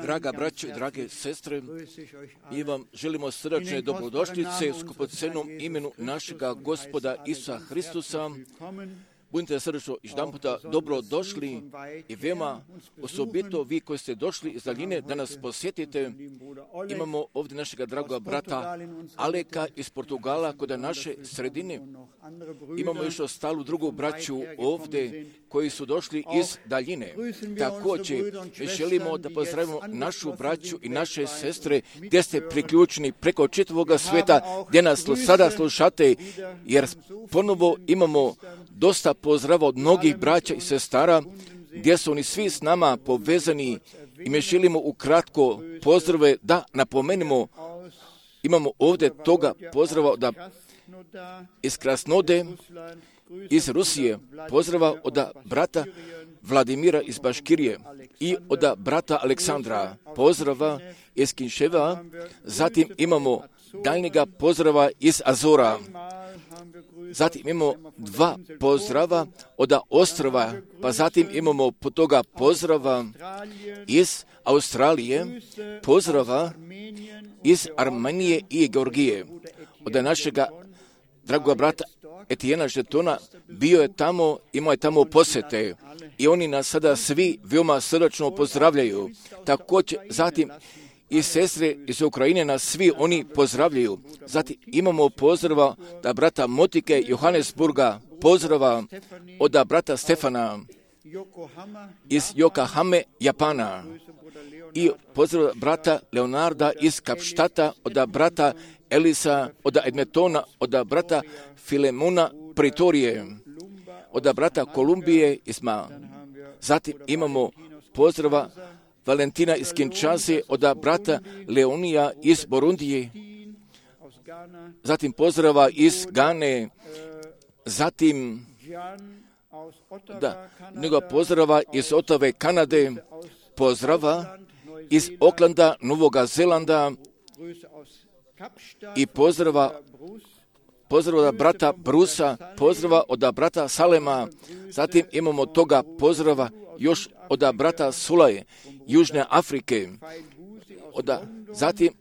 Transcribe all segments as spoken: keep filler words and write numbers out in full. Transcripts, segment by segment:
Draga braćo i drage sestre, mi vam želimo srdačne dobrodošlice u skupocenom imenu našega Gospoda Isusa Hristusa. Budite srdečno jedan puta dobro došli i veoma osobito vi koji ste došli iz daljine da nas posjetite. Imamo ovdje našega dragoga brata Aleka iz Portugala kod naše sredine. Imamo još ostalu drugu braću ovdje koji su došli iz daljine. Također želimo da pozdravimo našu braću i naše sestre gdje ste priključeni preko čitavoga sveta, gdje nas sada slušate, jer ponovo imamo dosta pozdrava od mnogih braća i sestara, gdje su oni svi s nama povezani i mi želimo ukratko pozdrave da napomenemo. Imamo ovdje toga pozdrava od iz Krasnode, iz Rusije, pozdrava od brata Vladimira iz Baškirije i od brata Aleksandra, pozdrava iz Kinševa. Zatim imamo daljnjega pozdrava iz Azora. Zatim imamo dva pozdrava od ostrva, pa zatim imamo po toga pozdrava iz Australije, pozdrava iz Armenije i Georgije. Od našega dragoga brata Etijena Žetona bio je tamo, imao je tamo posjete i oni nas sada svi veoma srdačno pozdravljaju. Također zatim i sestre iz Ukrajine nas svi oni pozdravljaju. Zatim imamo pozdrava da brata Motike Johannesburga, pozdrava od brata Stefana iz Yokohame, Japana, i pozdrava brata Leonarda iz Kapštata, od brata Elisa, od Edmetona, od brata Filemona Pretorije, od brata Kolumbije Isma. Zatim imamo pozdrava Valentina iz Kinshase, od brata Leonija iz Borundije, zatim pozdrava iz Gane, zatim da, njega pozdrava iz Otave, Kanade, pozdrava iz Oklanda, Novoga Zelanda i pozdrava pozdrava od brata Brusa, pozdrava od brata Salema, zatim imamo toga pozdrava još od brata Sulaje, Južne Afrike, od, zatim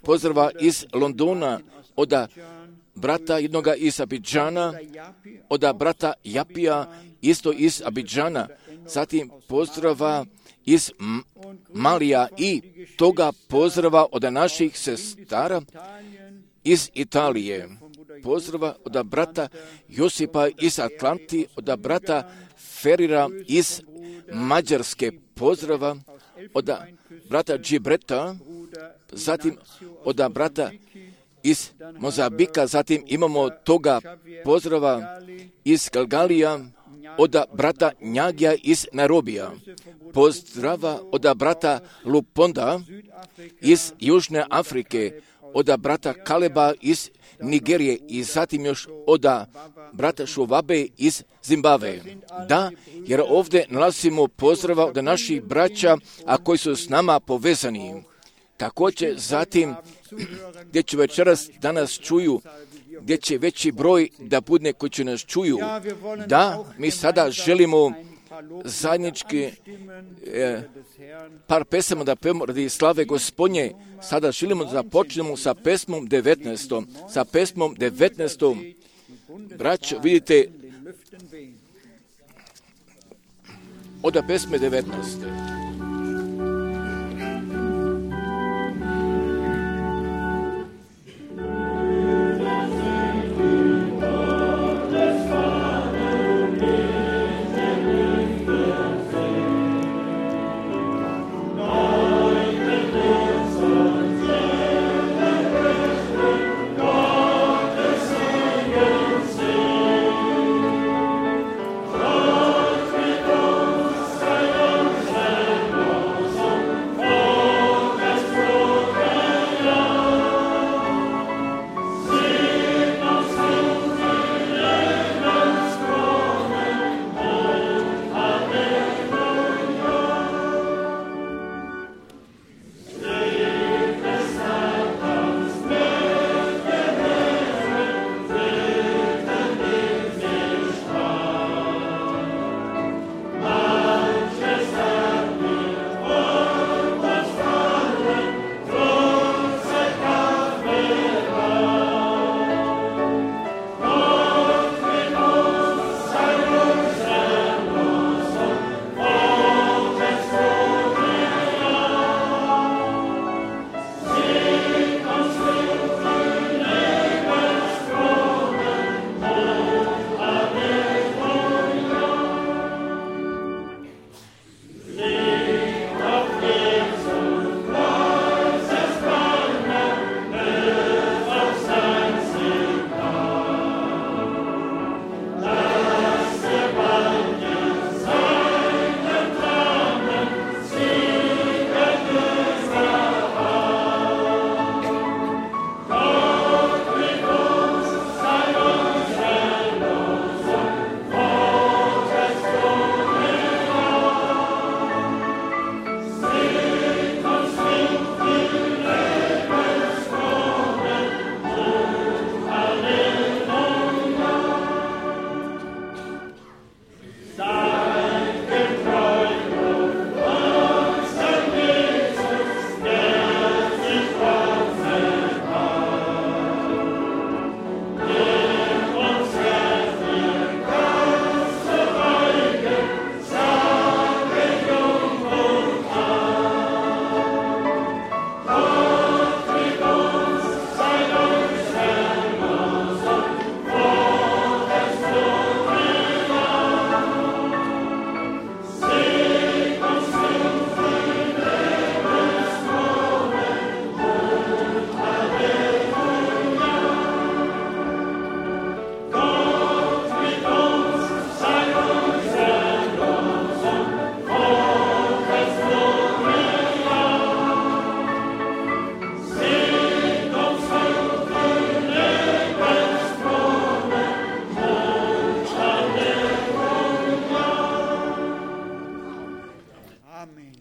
pozdrava iz Londona, od brata jednoga iz Abidžana, od brata Japija, isto iz Abidžana, zatim pozdrava iz Malija i toga pozdrava od naših sestara iz Italije. Pozdrava od brata Josipa iz Atlanti, od brata Ferira iz Mađarske, pozdrava od brata Džibreta, zatim od brata iz Mozambika, zatim imamo toga pozdrava iz Galgalija, od brata Njagija iz Nairobija, pozdrava od brata Luponda iz Južne Afrike, od brata Kaleba iz Nigerije i zatim još od brata Šuvabe iz Zimbabve. Da, jer ovdje nalazimo pozdrava od naših braća, a koji su s nama povezani. Također zatim, gdje će večeras danas čuju, gdje će veći broj da bude koji će nas čuju. Da, mi sada želimo zajednički eh, par pesama da pevamo radi slave Gospodnje. Sada želimo da počnemo sa pesmom devetnaestom. Sa pesmom devetnaestom. Braćo, vidite, od pesme devetnaeste. Sei uns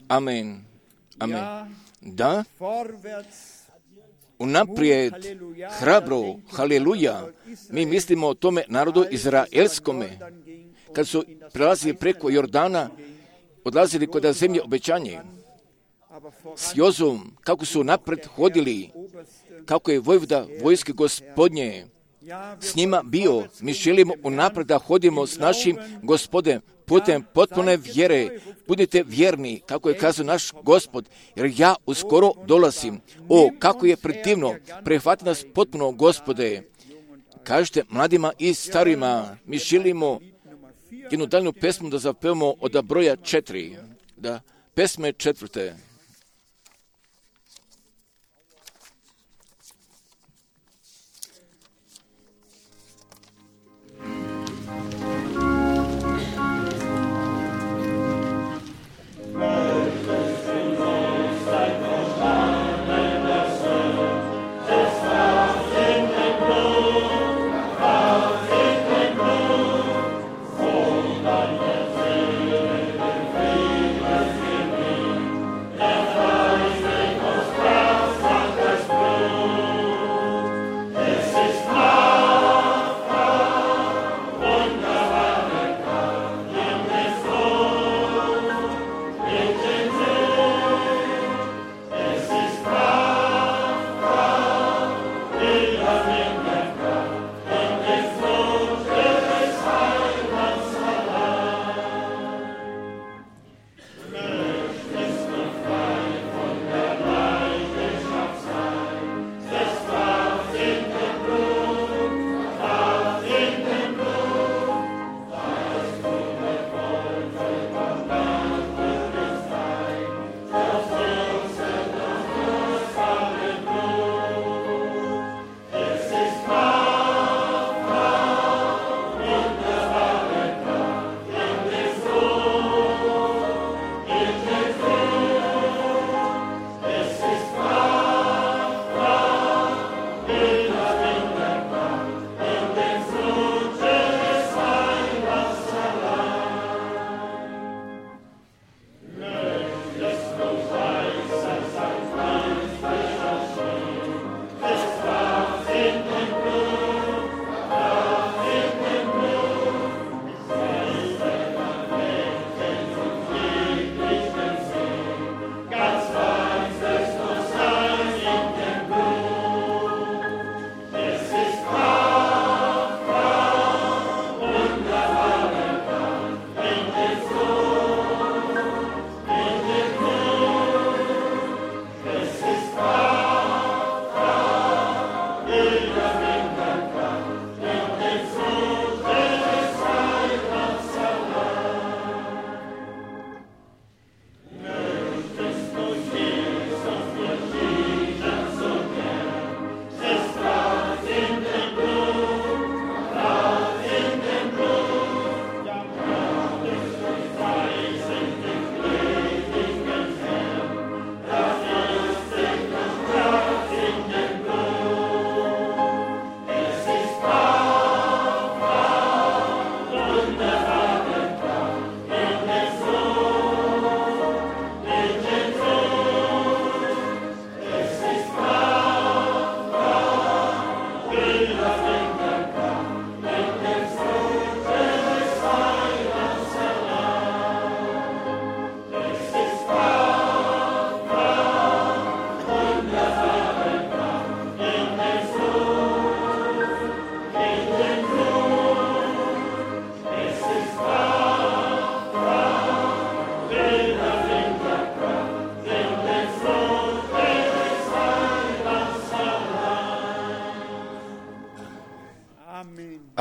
Amen. Amen. Da, unaprijed, hrabro, haleluja, mi mislimo o tome narodu izraelskome, kad su prelazili preko Jordana, odlazili kod zemlje obećanje, s Jozom, kako su napred hodili, kako je vojvoda vojske Gospodnje s njima bio. Mi želimo unapred da hodimo s našim Gospodem putem potpune vjere. Budite vjerni, kako je kazao naš Gospod, jer ja uskoro dolazim. O, kako je predivno, prihvati nas potpuno, Gospode. Kažete mladima i starima, mi želimo jednu daljnu pesmu da zapevamo od broja četiri, da pesme četvrte.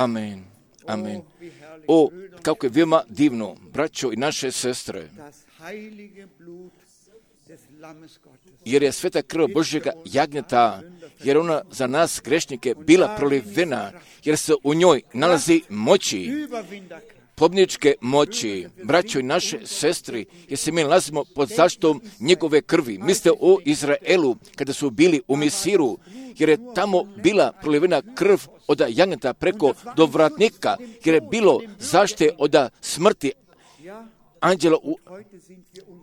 Amen. Amen. O, kako je veoma divno, braćo i naše sestre, jer je sveta krv Božjega jagnjeta, jer ona za nas grešnike bila prolivena, jer se u njoj nalazi moći, pobjedničke moći, braćo i naše sestri, jer se mi nalazimo pod zaštitom njegove krvi. Mislite o Izraelu kada su bili u Misiru, jer je tamo bila prolivena krv od jagnjeta preko dovratnika, jer je bilo zaštite od smrti anđela, u,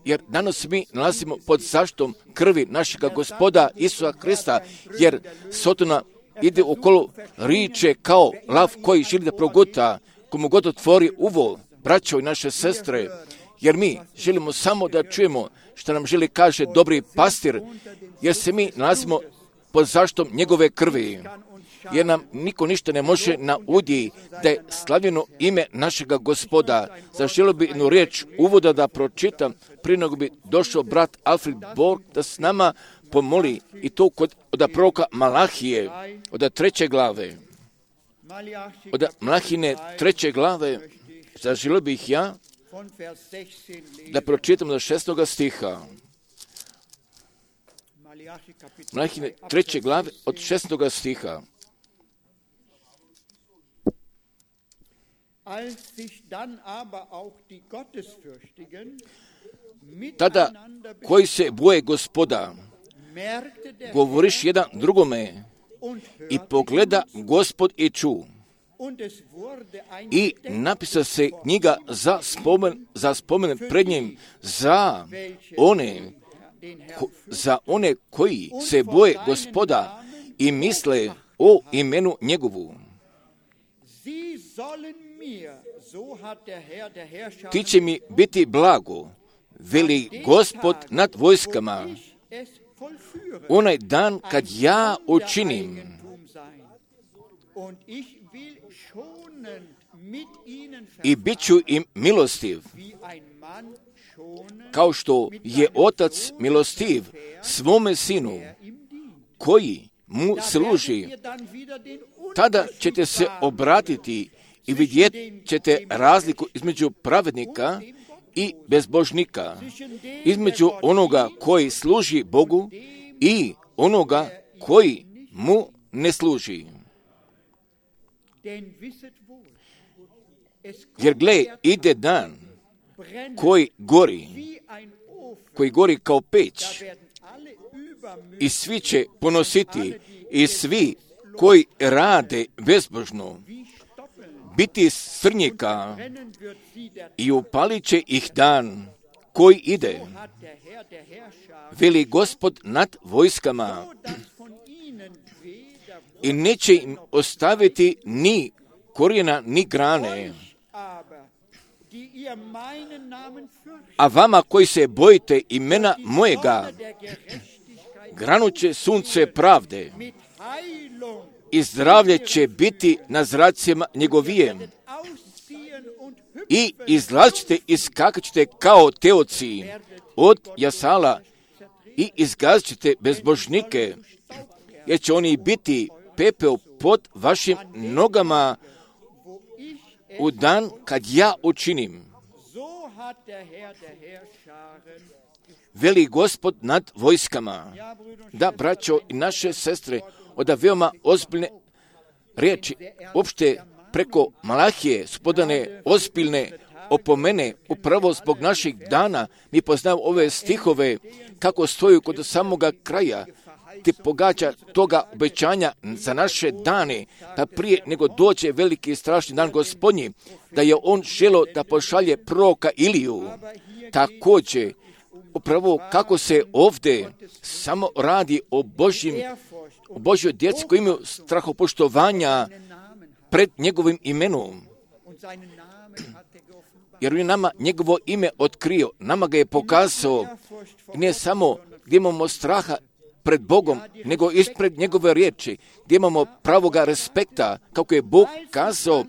jer danas mi nalazimo pod zaštitom krvi našega Gospoda Isusa Krista, jer Sotona ide okolo riče kao lav koji želi da proguta, komu god otvori uvo, braćo i naše sestre, jer mi želimo samo da čujemo što nam želi kaže dobri pastir, jer se mi nalazimo pod zaštitom njegove krvi, jer nam niko ništa ne može nauditi da je slavljeno ime našega Gospoda. Zaželio bi jednu riječ uvoda da pročitam prije nego bi došao brat Alfred Borg da s nama pomoli, i to kod, od proroka Malahije, od treće glave. Od Malahine treće glave zaželio bih ja da pročitam do šestoga stiha. Malahine treće glave od šestoga stiha. Tada koji se boje Gospoda, govoriš jedan drugome, i pogleda Gospod i ču. I napisa se knjiga za spomen, za spomen pred njim za one, ko, za one koji se boje Gospoda i misle o imenu njegovu. Ti će mi biti blago, veli Gospod nad vojskama, onaj dan kad ja učinim. I bit ću im milostiv, kao što je otac milostiv svome sinu, koji mu služi. Tada ćete se obratiti i vidjet ćete razliku između pravednika i bezbožnika, između onoga koji služi Bogu i onoga koji mu ne služi. Jer gle, ide dan koji gori, koji gori kao peć, i svi će ponositi, i svi koji rade bezbožno biti srnjika, i upalit će ih dan koji ide, veli Gospod nad vojskama, i neće im ostaviti ni korijena ni grane. A vama koji se bojite imena mojega, granu će sunce pravde, i zdravlje će biti na zracima njegovijem, i izlazite i skakat ćete kao teoci od jasala, i izgazit ćete bezbožnike, jer će oni biti pepeo pod vašim nogama u dan kad ja učinim, veli Gospod nad vojskama. Da, braćo i naše sestre, od veoma ozbiljne riječi, uopšte preko Malahije su podane ozbiljne opomene, upravo zbog naših dana. Mi poznamo ove stihove kako stoju kod samoga kraja, ti pogađa toga obećanja za naše dane, da prije nego dođe veliki i strašni dan Gospodnji, da je on želio da pošalje proroka Iliju. Također, upravo kako se ovdje samo radi o Božjim, o Božjoj djeci koji imaju strahopoštovanja pred njegovim imenom. Jer on je nama njegovo ime otkrio, nama ga je pokazao, i ne samo gdje imamo straha pred Bogom, nego ispred njegove riječi, gdje imamo pravoga respekta, kako je Bog kazao.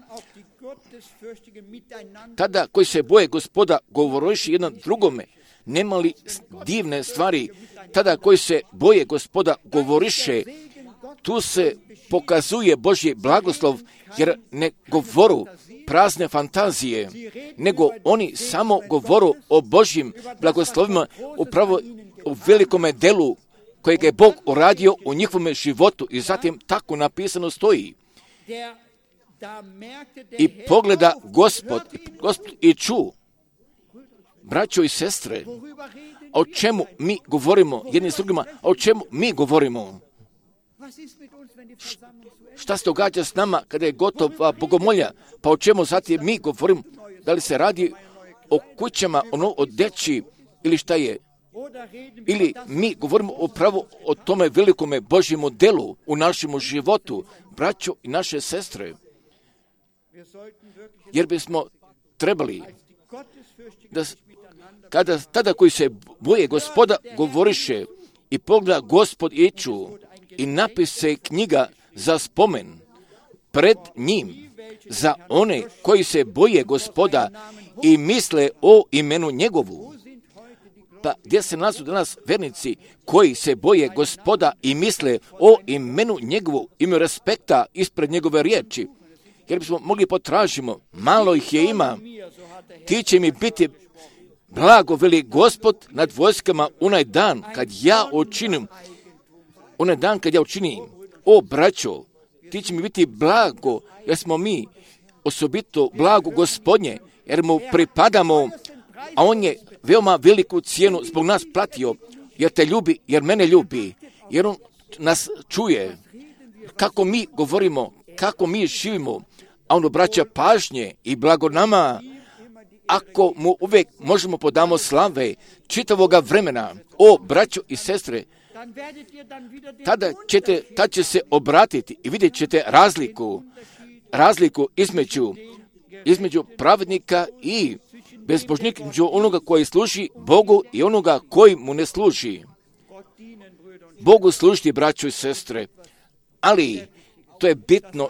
Tada koji se boje Gospoda, govoriš jedan drugome, nema li divne stvari? Tada koji se boje Gospoda, govoriše, tu se pokazuje Božji blagoslov, jer ne govoru prazne fantazije, nego oni samo govoru o Božjim blagoslovima, upravo u velikome delu kojeg je Bog uradio u njihovome životu, i zatim tako napisano stoji. I pogleda Gospod, Gospod i ču, braćo i sestre, o čemu mi govorimo jedni s drugima, o čemu mi govorimo? Šta se događa s nama kada je gotova bogomolja? Pa o čemu zatim mi govorimo? Da li se radi o kućama, ono o djeci ili šta je. Ili mi govorimo upravo o tome velikome Božjemu delu u našem životu, braćo i naše sestre. Jer bismo trebali da kada tada koji se boje Gospoda govoriše i pogleda Gospod iću i napise knjiga za spomen pred njim za one koji se boje Gospoda i misle o imenu njegovu. Pa gdje se nalazu danas vernici koji se boje Gospoda i misle o imenu njegovu, imaju respekta ispred njegove riječi? Jer bismo mogli potražimo, malo ih je ima, ti će mi biti blago, veli Gospod nad vojskama, onaj dan kad ja učinim, onaj dan kad ja učinim, o braćo, ti će mi biti blago, jer smo mi osobito blago Gospodnje, jer mu pripadamo, a on je veoma veliku cijenu zbog nas platio, jer te ljubi, jer mene ljubi, jer on nas čuje, kako mi govorimo, kako mi živimo, a on obraća pažnje i blago nama, ako mu uvijek možemo podamo slave čitavoga vremena, o braćo i sestre, tada ćete, tad će se obratiti i vidjet ćete razliku, razliku između, između pravednika i bezbožnika, između onoga koji služi Bogu i onoga koji mu ne služi. Bogu služiti, braćo i sestre, ali to je bitno,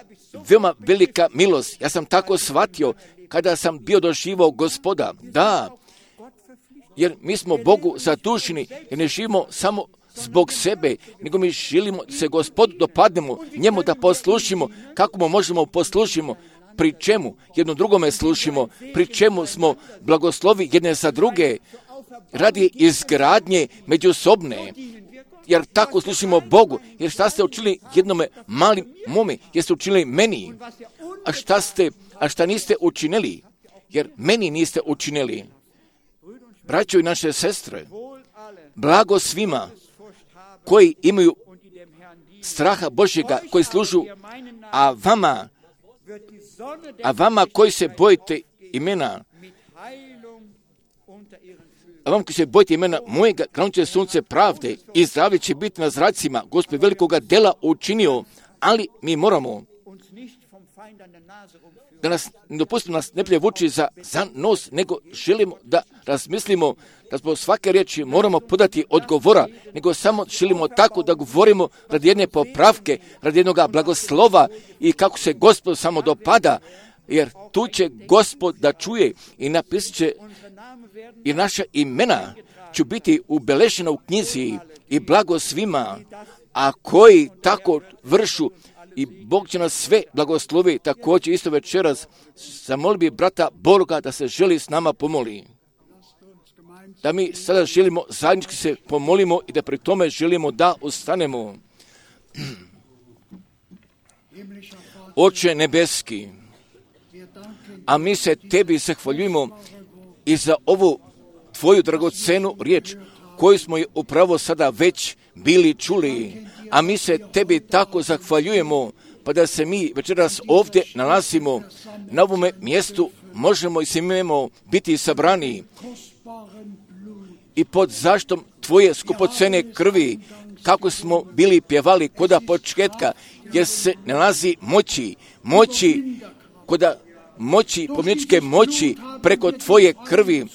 veoma velika milost. Ja sam tako shvatio kada sam bio doživao Gospoda. Da, jer mi smo Bogu zaduženi jer ne živimo samo zbog sebe, nego mi želimo se Gospodu dopadnemo, njemu da poslušimo, kako mu možemo poslušimo, pri čemu jedno drugome slušimo, pri čemu smo blagoslovi jedne za druge, radi izgradnje međusobne, jer tako slušimo Bogu. Jer šta ste učili jednome malim mome, jeste učili meni, a šta ste, a šta niste učinili, jer meni niste učinili. Braćo i naše sestre, blago svima koji imaju straha Božjega, koji služu, a vama, a vama koji se bojite imena, a vam koji se bojite imena mojega, krenut će sunce pravde i zdravlje će biti na zracima. Gospod velikoga dela učinio, ali mi moramo da nas, ne dopustimo nas ne pljevući za, za nos, nego želimo da razmislimo da zbog svake riječi moramo podati odgovora, nego samo želimo tako da govorimo radi jedne popravke, radi jednog blagoslova i kako se Gospod samo dopada, jer tu će Gospod da čuje i napisat će i naša imena će biti ubeležena u knjizi i blago svima, a koji tako vršu i Bog će nas sve blagoslovi. Također isto večeras zamoli bi brata Borga da se želi s nama pomoli. Da mi sada želimo zajednički se pomolimo i da pri tome želimo da ustanemo. Oče nebeski, a mi se tebi zahvaljujemo i za ovu tvoju dragocenu riječ koju smo je upravo sada već bili čuli, a mi se tebi tako zahvaljujemo, pa da se mi večeras ovdje nalazimo na ovome mjestu, možemo i smijemo biti sabrani i pod zaštom tvoje skupocene krvi, kako smo bili pjevali koda početka, jer se nalazi moći, moći koda moći, pomničke moći preko tvoje krvi.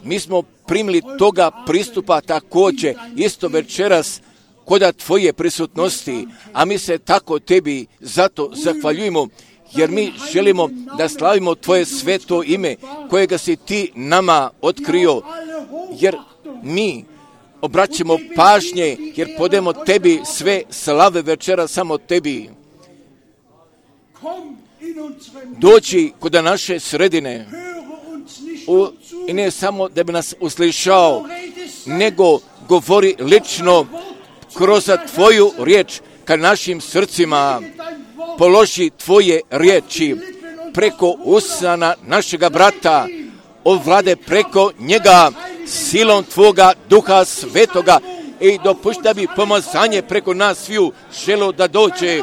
Mi smo primili toga pristupa također isto večeras koda tvoje prisutnosti, a mi se tako tebi zato zahvaljujemo, jer mi želimo da slavimo tvoje sveto ime kojega si ti nama otkrio, jer mi obraćamo pažnje, jer podemo tebi sve slave večera samo tebi. Dođi kod naše sredine u, i ne samo da bi nas uslišao, nego govori lično kroz tvoju riječ ka našim srcima. Položi tvoje riječi preko usana našega brata, ovlade preko njega silom tvoga duha svetoga i dopušti da bi pomazanje preko nas sviju želo da dođe.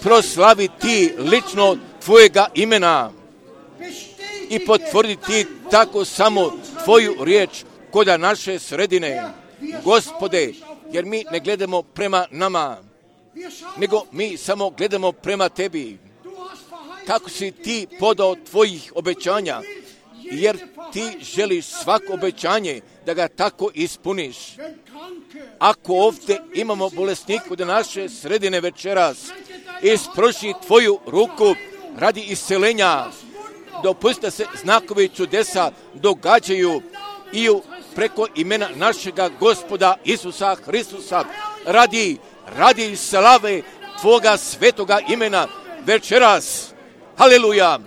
Proslavi ti lično tvojega imena. i potvrditi tako samo Tvoju riječ kod naše sredine. Gospode, jer mi ne gledamo prema nama, nego mi samo gledamo prema Tebi. Kako si Ti podao Tvojih obećanja, jer Ti želiš svako obećanje da ga tako ispuniš. Ako ovdje imamo bolesniku da naše sredine večeras, isproši Tvoju ruku radi iscelenja, dopusti da se znakovi čudesa događaju i preko imena našega Gospoda Isusa Hristusa, radi, radi slave Tvoga svetoga imena večeras. Haleluja!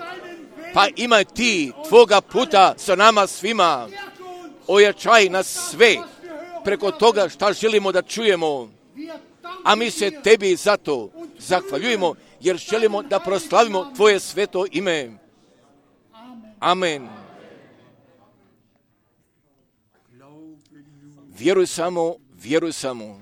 Pa imaj Ti Tvoga puta sa nama svima. Ojačaj nas sve preko toga šta želimo da čujemo. A mi se Tebi zato zahvaljujemo, jer želimo da proslavimo Tvoje sveto ime. Amen. Vjeruj samo, vjeruj samo.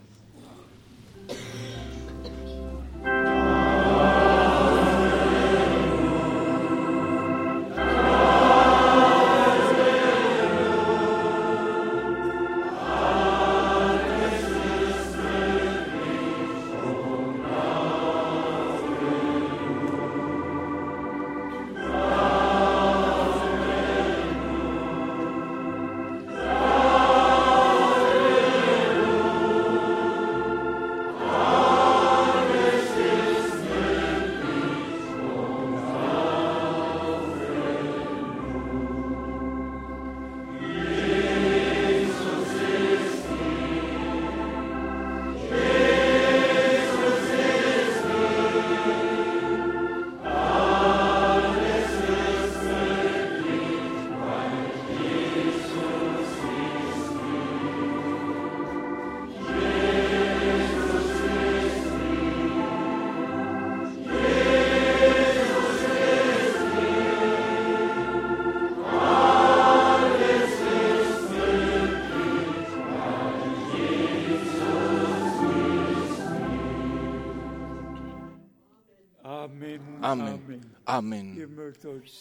Amen. Amen.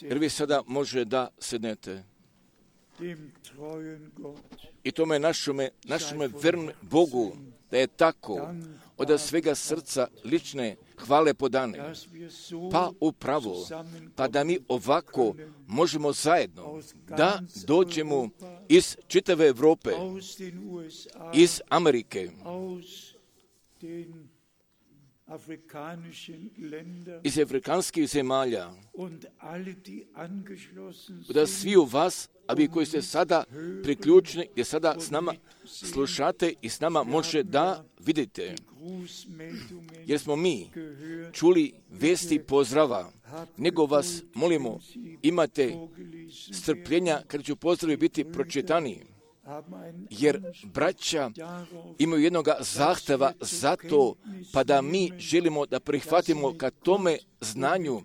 Jer vi sada može da sednete. I tome našome, našome vernom Bogu da je tako od svega srca lične hvale podane. Pa upravo, pa da mi ovako možemo zajedno da dođemo iz čitave Evrope, iz Amerike, iz afrikanskih zemalja, da svi u vas, a vi koji ste sada priključeni, gdje sada s nama slušate i s nama može da vidite. Jer smo mi čuli vesti pozdrava, nego vas molimo, imate strpljenja kada ću pozdravi biti pročitani. Jer braća imaju jednog zahteva za to, pa da mi želimo da prihvatimo ka tome znanju,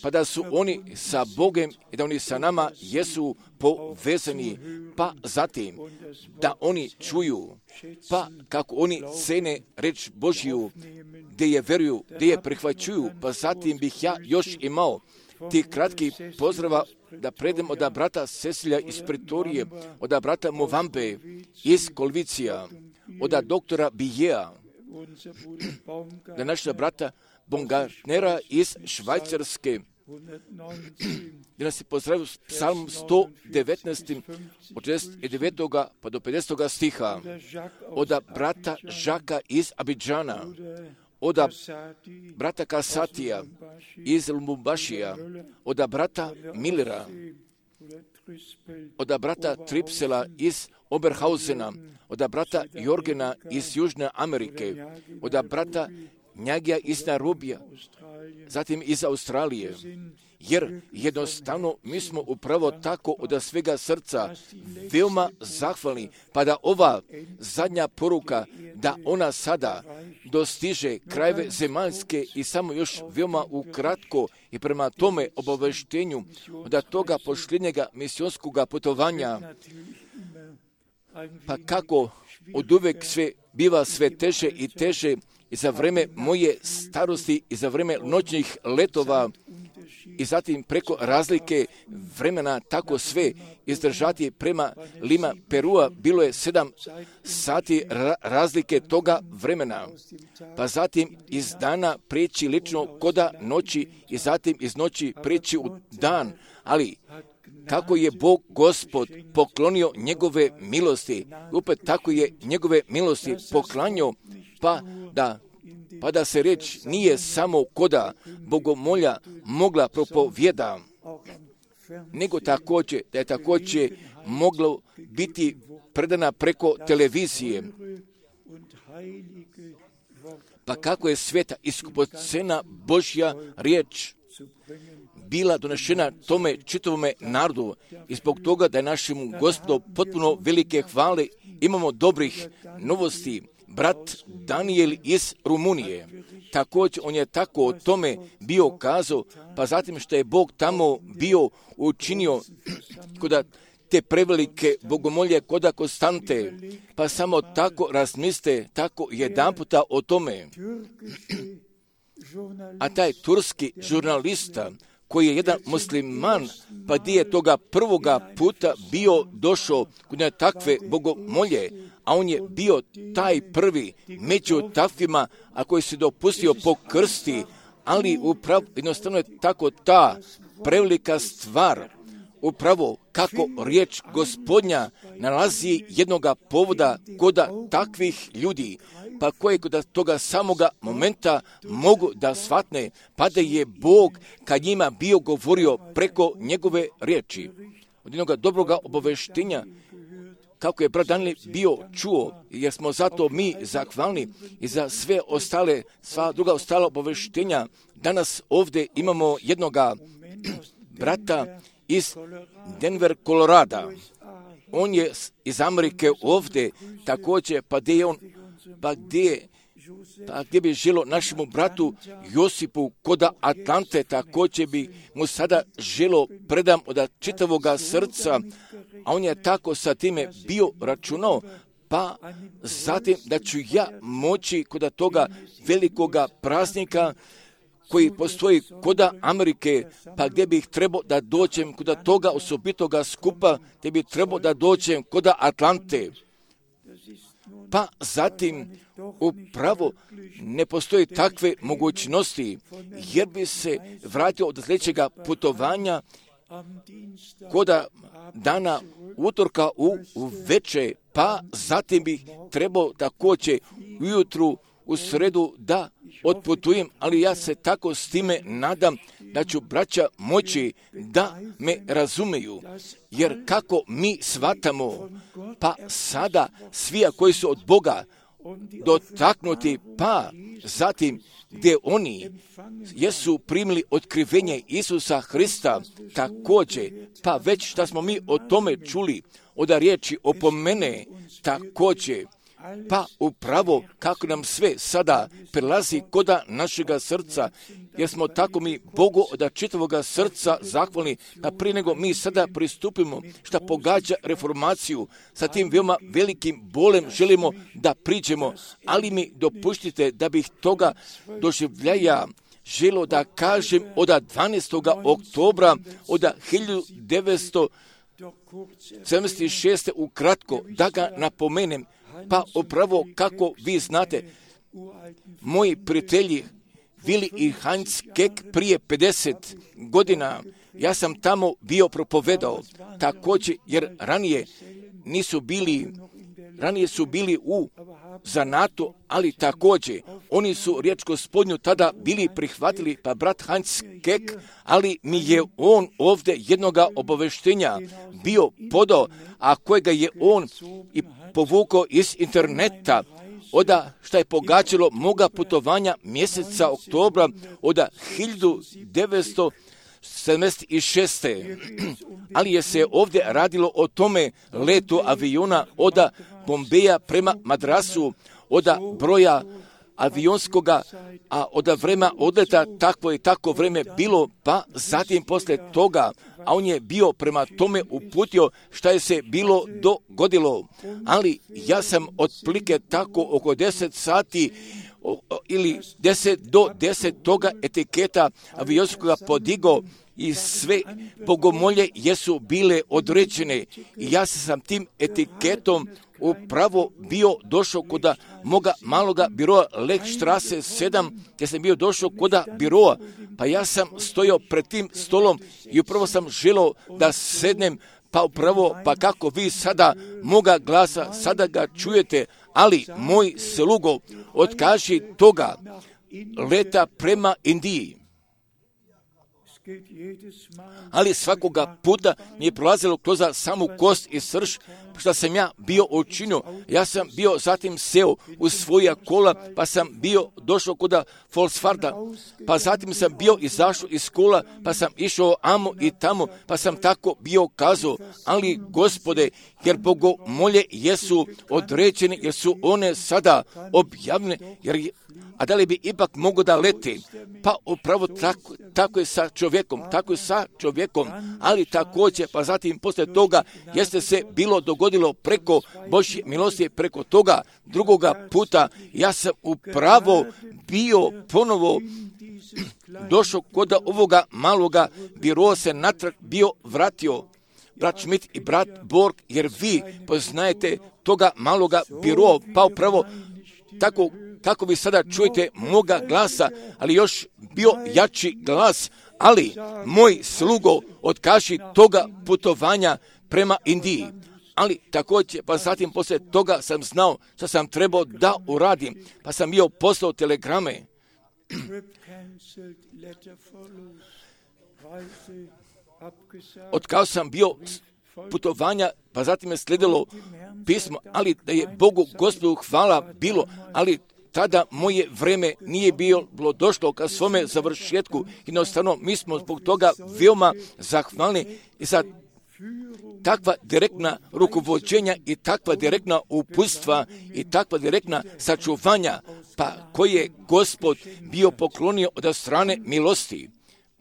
pa da su oni sa Bogom i da oni sa nama jesu povezani, pa zatim da oni čuju, pa kako oni cene reč Božju, gdje je veruju, gdje je prihvaćuju, pa zatim bih ja još imao ti kratki pozdrava da predem od brata Cecilija iz Pretorije, od brata Movambe iz Kolvicija, od doktora Bijeja, da naša brata Bongarnera iz Švajcarske, gdje nas je pozdravio psalm sto devetnaest od šezdeset devetog pa do pedesetog stiha, od brata Žaka iz Abidžana, od brata Kasatija iz Lubumbašija, od brata Millera, od brata Tripsela iz Oberhausena, od brata Jorgena iz Južne Amerike, od brata Njagija iz Nairobija, zatim iz Australije. Jer jednostavno mi smo upravo tako od svega srca veoma zahvalni, pa da ova zadnja poruka, da ona sada dostiže krajeve zemaljske i samo još veoma ukratko i prema tome obaveštenju od toga posljednjega misionskog putovanja, pa kako od uvek sve biva sve teže i teže i za vreme moje starosti i za vreme noćnih letova i zatim preko razlike vremena tako sve izdržati prema Lima Perua bilo je sedam sati ra- razlike toga vremena, pa zatim iz dana preći lično koda noći i zatim iz noći preći u dan, ali kako je Bog Gospod poklonio njegove milosti, opet tako je njegove milosti poklanio, pa da pa da se reč nije samo koda bogomolja mogla propovjeda, nego također, da je također moglo biti predana preko televizije. Pa kako je sveta i skupocena Božja riječ bila donešena tome čitavome narodu i zbog toga da je našem Gospodu potpuno velike hvale, imamo dobrih novosti. Brat Daniel iz Rumunije, također on je tako o tome bio kazao, pa zatim što je Bog tamo bio učinio kod te prevelike bogomolje koda Konstante, pa samo tako razmislite, tako jedan puta o tome. A taj turski žurnalista, koji je jedan musliman, pa gdje je toga prvoga puta bio došao kod takve bogomolje, a on je bio taj prvi među takvima, a koji se dopustio pokrsti, ali upravo jednostavno je tako ta prevelika stvar, upravo kako riječ Gospodnja nalazi jednoga povoda koda takvih ljudi, pa koje kod toga samoga momenta mogu da shvatne, pa da je Bog kad njima bio govorio preko njegove riječi. Od jednoga dobroga obaveštenja, kako je brat Daniel bio čuo, jer smo zato mi zahvalni i za sve ostale, sva druga ostala obaveštenja. Danas ovdje imamo jednoga brata iz Denver, Kolorada. On je iz Amerike ovdje također, pa gdje je on, pa gdje, pa gdje bi želo našemu bratu Josipu koda Atlante, također bi mu sada želo predam od čitavoga srca, a on je tako sa time bio računao, pa zatim da ću ja moći kod toga velikoga praznika koji postoji koda Amerike, pa gdje bih trebao da dođem kod toga osobitoga skupa, gdje bih trebao da dođem koda Atlante. Pa zatim upravo ne postoji takve mogućnosti, jer bi se vratio od sljedećega putovanja koda dana utorka u, u veče, pa zatim bih trebao također ujutru u sredu da otputujem, ali ja se tako s time nadam da ću braća moći da me razumeju, jer kako mi shvatamo, pa sada svi koji su od Boga dotaknuti, pa zatim gdje oni jesu primili otkrivenje Isusa Hrista također, pa već što smo mi o tome čuli, od riječi opomene također, pa upravo kako nam sve sada prelazi koda našega srca, jer smo tako mi Bogu od čitavoga srca zahvalni, pa prije nego mi sada pristupimo što pogađa reformaciju, sa tim veoma velikim bolem želimo da priđemo, ali mi dopuštite da bih toga doživljaja želo da kažem od dvanaestog oktobra od hiljadu devetsto sedamdeset šeste ukratko, da ga napomenem. Pa upravo kako vi znate, moji prijatelji Vili i Heinz Kek prije pedeset godina, ja sam tamo bio propovedao također, jer ranije nisu bili, ranije su bili u zanatu, ali također oni su riječ Gospodnju tada bili prihvatili, pa brat Heinz Kek, ali mi je on ovdje jednoga obaveštenja bio podao, a kojega je on i povukao iz interneta, oda što je pogađalo moga putovanja mjeseca oktobra od hiljadu devetsto sedamdeset šeste. Ali je se ovdje radilo o tome letu aviona od Bombeja prema Madrasu, od broja avionskoga, a od vremena odleta takvo i tako vreme bilo, pa zatim poslije toga, a on je bio prema tome uputio šta je se bilo dogodilo. Ali ja sam otprilike tako oko deset sati ili deset do deset toga etiketa avionskoga podigao i sve bogomolje jesu bile određene. I ja sam tim etiketom upravo bio došao kod moga maloga biroa Lekštrase sedam, gdje sam bio došao kod biroa, pa ja sam stojao pred tim stolom i upravo sam želio da sednem, pa upravo, pa kako vi sada moga glasa, sada ga čujete, ali moj slugo, otkaži toga, leta prema Indiji. Ali svakoga puta mi je prolazilo kroz samu kost i srž, što sam ja bio učinio. Ja sam bio zatim seo u svoja kola, pa sam bio došao kod Volkswarda, pa zatim sam bio izašao iz kola, pa sam išao amo i tamo, pa sam tako bio kazao, ali Gospode, jer bogomolje jesu određene, jer su one sada objavljene, jer a da li bi ipak mogo da leti? Pa upravo tako, tako je sa čovjekom, tako je sa čovjekom, ali također, pa zatim poslije toga, jeste se bilo dogodilo preko Božje milosti, preko toga drugoga puta, ja sam upravo bio ponovo došao kod ovoga maloga biroa, se natrag bio vratio, brat Schmidt i brat Borg, jer vi poznajete toga maloga biroa, pa upravo tako kako vi sada čujete moga glasa, ali još bio jači glas, ali moj slugo otkaži toga putovanja prema Indiji. Ali također, pa zatim poslije toga sam znao što sam trebao da uradim, pa sam bio poslao telegrame. Otkao sam bio putovanja, pa zatim je slijedilo pismo, ali da je Bogu Gospodu hvala bilo, ali tada moje vreme nije bilo došlo ka svome završetku. Jednostavno, mi smo zbog toga veoma zahvalni i za takva direktna rukovođenja i takva direktna uputstva i takva direktna sačuvanja, pa koje je Gospod bio poklonio od strane milosti.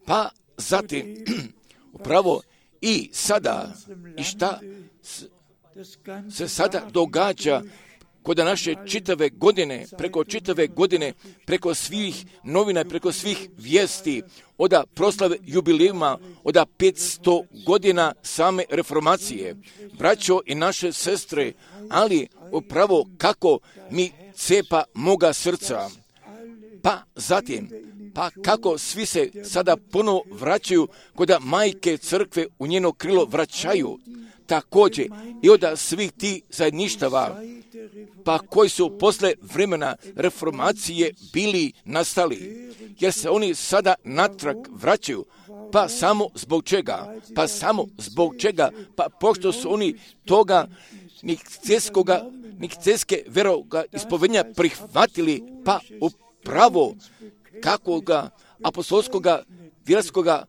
Pa zatim, upravo i sada, i šta se sada događa kod naše čitave godine, preko čitave godine, preko svih novina, preko svih vijesti, od proslave jubilejuma, od petsto godina same reformacije. Braćo i naše sestre, ali upravo kako mi cepa moga srca. Pa zatim, pa kako svi se sada ponovo vraćaju kod majke crkve u njeno krilo vraćaju. Također i od svih tih zajedništava, pa koji su posle vremena reformacije bili nastali, jer se oni sada natrag vraćaju, pa samo zbog čega, pa samo zbog čega, pa pošto su oni toga nikceskoga, nikceske veroga ispovednja prihvatili, pa upravo kakvoga apostolskoga, vjerskoga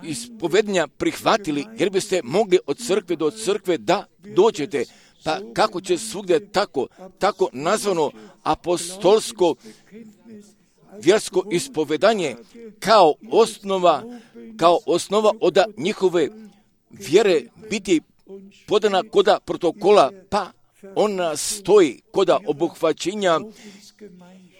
ispovednja prihvatili, jer biste mogli od crkve do crkve da dođete. Pa kako će svugdje tako, tako nazvano apostolsko vjersko ispovedanje kao osnova, kao osnova od njihove vjere biti podana koda protokola, pa ona stoji koda obuhvaćenja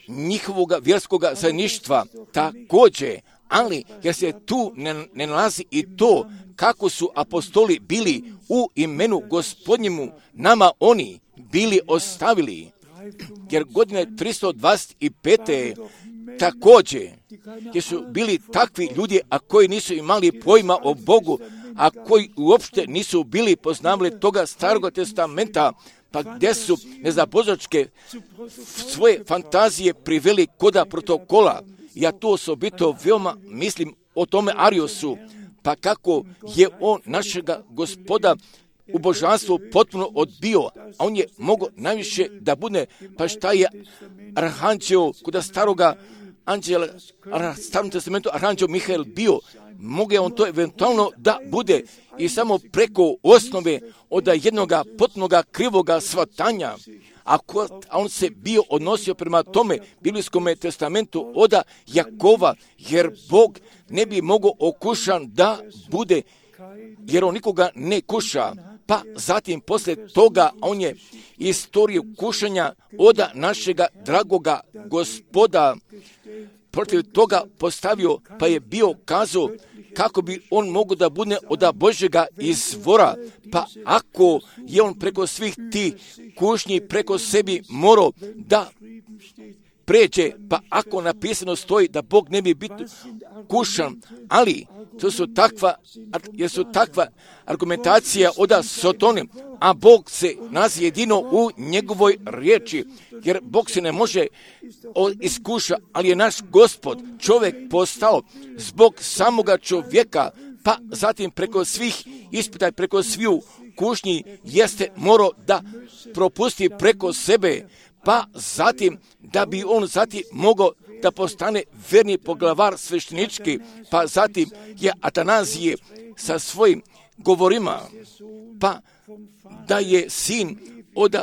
njihovoga vjerskoga zajedništva također, ali jer se tu ne, ne nalazi i to kako su apostoli bili u imenu Gospodnjemu nama oni bili ostavili, jer godine tristo dvadeset pet. također, jer su bili takvi ljudi, a koji nisu imali pojma o Bogu, a koji uopšte nisu bili poznavali toga starog testamenta, pa gdje su nezabožačke svoje fantazije priveli koda protokola. Ja tu osobito veoma mislim o tome Ariosu, pa kako je on našega Gospoda u božanstvu potpuno odbio, a on je mogao najviše da bude, pa šta je arhanđeo kod staroga anđel, u Starom testamentu aranđel Mihael bio, mogu on to eventualno da bude i samo preko osnove od jednoga potpunoga krivoga shvatanja, a on se bio odnosio prema tome biblijskom testamentu od Jakova, jer Bog ne bi mogao okušan da bude, jer on nikoga ne kuša. Pa zatim poslije toga on je istoriju kušanja od našega dragoga Gospoda protiv toga postavio, pa je bio kazao kako bi on mogao da bude od Božjega izvora, pa ako je on preko svih tih kušnji preko sebi morao da pređe, pa ako napisano stoji da Bog ne bi biti kušan, ali to su takva, jer su takva argumentacija od Sotone, a Bog se nalazi jedino u njegovoj riječi, jer Bog se ne može iskuša, ali je naš Gospod čovjek postao zbog samoga čovjeka, pa zatim preko svih ispita i preko sviju kušnji jeste morao da propusti preko sebe, pa zatim da bi on zatim mogao da postane verni poglavar sveštenički, pa zatim je Atanazije sa svojim govorima, pa da je sin od,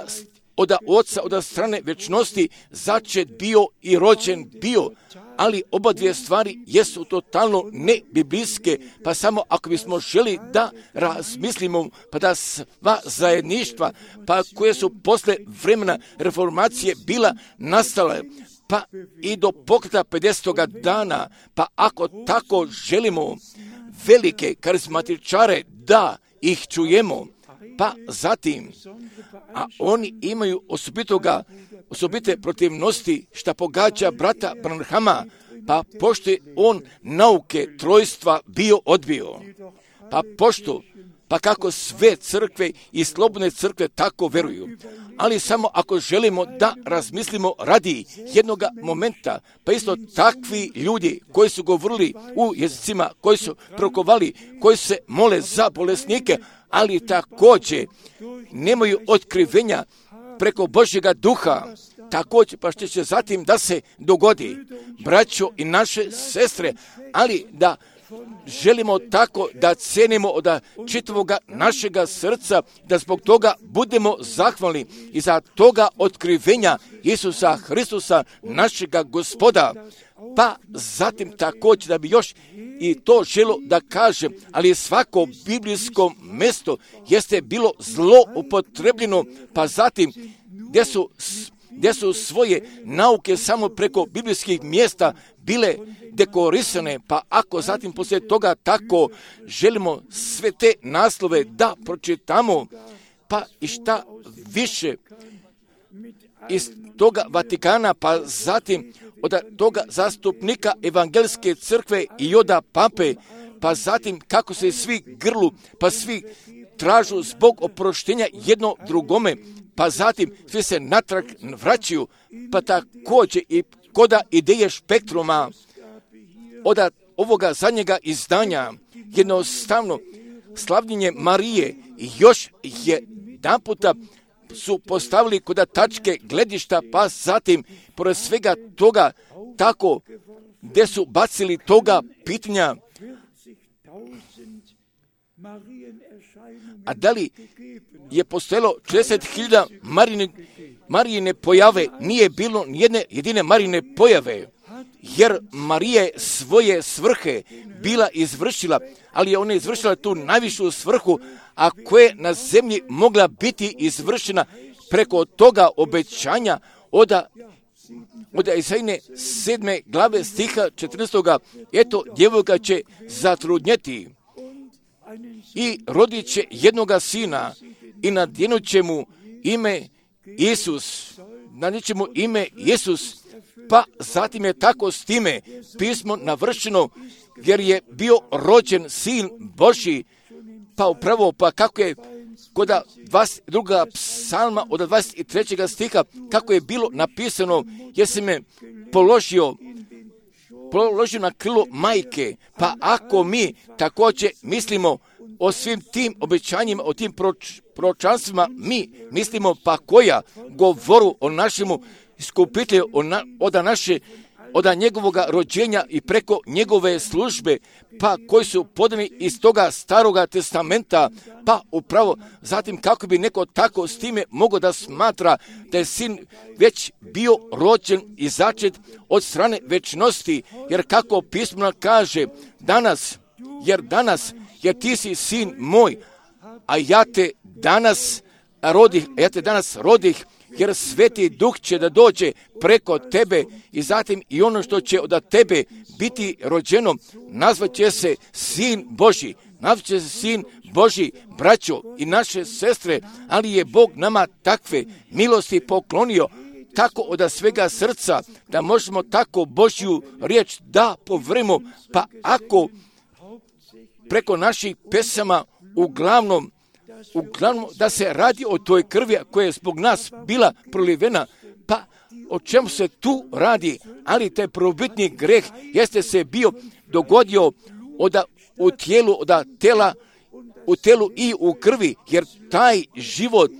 od oca, od strane večnosti začet bio i rođen bio, ali oba dvije stvari jesu totalno nebiblijske, pa samo ako bismo želi da razmislimo, pa da sva zajedništva, pa koje su posle vremena reformacije bila nastale, pa i do pokreta pedesetoga dana, pa ako tako želimo velike karizmatičare da ih čujemo, pa zatim, a oni imaju osobitoga, osobite protivnosti šta pogađa brata Branhama, pa pošto je on nauke trojstva bio odbio, pa pošto, pa kako sve crkve i slobodne crkve tako veruju, ali samo ako želimo da razmislimo radi jednoga momenta, pa isto takvi ljudi koji su govorili u jezicima, koji su prokovali, koji se mole za bolesnike, ali također nemaju otkrivenja preko Božjega duha, također pa što će zatim da se dogodi, braćo i naše sestre, ali da želimo tako da cenimo od čitavoga našega srca, da zbog toga budemo zahvalni i za toga otkrivenja Isusa Hristusa, našega Gospoda. Pa zatim također da bi još i to želo da kažem, ali svako biblijsko mjesto jeste bilo zlo upotrebljeno, pa zatim gdje su, gdje su svoje nauke samo preko biblijskih mjesta bile dekorisane, pa ako zatim poslije toga tako želimo sve te naslove da pročitamo, pa i šta više iz toga Vatikana, pa zatim od toga zastupnika evangelske crkve i od pape, pa zatim kako se svi grlu, pa svi tražu zbog oproštenja jedno drugome, pa zatim svi se natrag vraćaju, pa također i koda ideje Spektruma od ovoga zadnjega izdanja, jednostavno slavljenje Marije još je naputa su postavili kod tačke gledišta, pa zatim pored svega toga tako gdje su bacili toga pitanja, a da li je postojalo četrdeset hiljada Marijine, Marijine pojave, nije bilo nijedne jedine Marijine pojave, jer Marija je svoje svrhe bila izvršila, ali je ona izvršila tu najvišu svrhu, a koja je na zemlji mogla biti izvršena preko toga obećanja od, od Isajine sedme glave stiha četrnaestoga. Eto, djevojka će zatrudnjeti i rodit će jednoga sina i nadjenut će mu ime Isus, nadjenut će mu ime Isus, pa zatim je tako s time pismo navršeno, jer je bio rođen sin Božji, pa upravo, pa kako je kod dvadeset drugog psalma od dvadeset trećeg stiha, kako je bilo napisano, jer se me položio, položio na krilo majke, pa ako mi također mislimo o svim tim obećanjima, o tim proč, proročanstvima, mi mislimo pa koja govoru o našemu iskupitelju, na, od naše od njegovog rođenja i preko njegove službe, pa koji su podani iz toga staroga testamenta, pa upravo zatim kako bi neko tako s time mogao da smatra da je sin već bio rođen i začet od strane večnosti, jer kako pismo kaže danas, jer danas, jer ti si sin moj, a ja te danas rodih, ja te danas rodih, jer Sveti Duh će da dođe preko tebe i zatim i ono što će od tebe biti rođeno, nazvat će se Sin Božji, nazvat će se Sin Božji, braćo i naše sestre, ali je Bog nama takve milosti poklonio, tako od svega srca, da možemo tako Božju riječ da povrimo, pa ako preko naših pesama uglavnom Uglavnom da se radi o toj krvi koja je zbog nas bila prolivena, pa o čemu se tu radi, ali taj prvobitni greh jeste se bio dogodio od, u tijelu, od tela, u telu i u krvi, jer taj život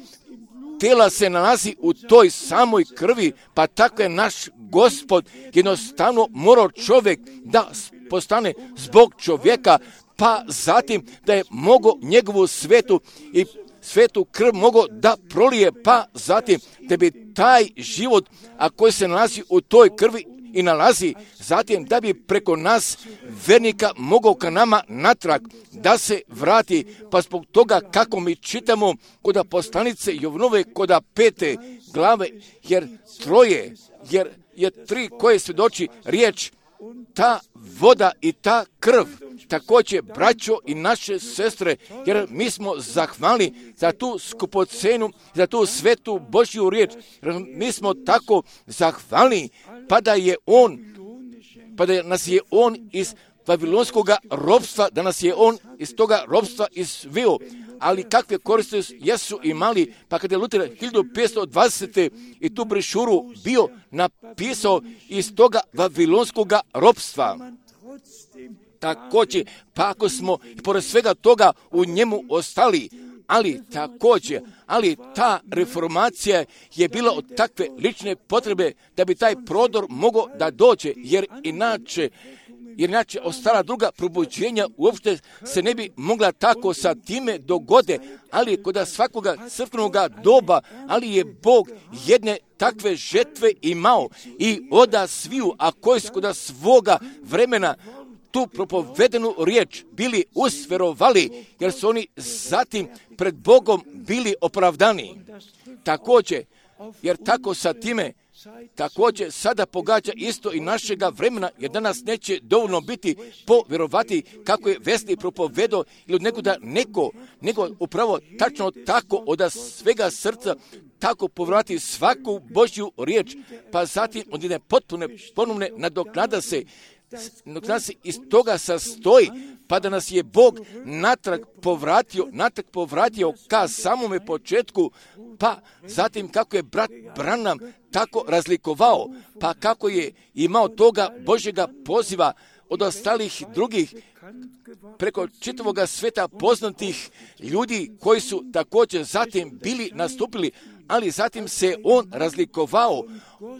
tela se nalazi u toj samoj krvi, pa tako je naš Gospod jednostavno morao čovjek da postane zbog čovjeka, pa zatim da je mogao njegovu svetu i svetu krv mogao da prolije, pa zatim da bi taj život, a koji se nalazi u toj krvi i nalazi, zatim da bi preko nas vernika mogao ka nama natrag da se vrati, pa zbog toga kako mi čitamo kod poslanice Jovnove kod pete glave, jer troje, jer je tri koje svjedoči riječ, ta voda i ta krv, također braćo i naše sestre, jer mi smo zahvalni za tu skupocenu, za tu svetu Božju riječ, jer mi smo tako zahvalni, pa da je on, pa da nas je on iz Vavilonskog ropstva, da nas je on iz toga ropstva izveo. Ali kakve koristi jesu imali, pa kada je Luter hiljadu petsto dvadesete i tu brošuru bio napisao iz toga Vavilonskog ropstva. Također, pa ako smo i pored svega toga u njemu ostali, ali također, ali ta reformacija je bila od takve lične potrebe da bi taj prodor mogao da dođe, jer inače, jer inače ostala druga probuđenja uopšte se ne bi mogla tako sa time dogode, ali kod svakoga crkvenog doba, ali je Bog jedne takve žetve imao i oda sviju, a koji su kod svoga vremena tu propovedenu riječ bili usverovali, jer su oni zatim pred Bogom bili opravdani. Također, jer tako sa time, također sada pogađa isto i našega vremena, jer danas neće dovoljno biti povjerovati kako je Vesli propovedao ili od nekoga neko, nego upravo tačno tako od svega srca tako povjerovati svaku Božju riječ, pa zatim od jedne potpune ponovne nadoknada se, nadoknada se iz toga sastoji, pa da nas je Bog natrag povratio, natrag povratio ka samome početku, pa zatim kako je brat Branham tako razlikovao, pa kako je imao toga Božjega poziva od ostalih drugih preko čitavog sveta poznatih ljudi koji su također zatim bili nastupili, ali zatim se on razlikovao.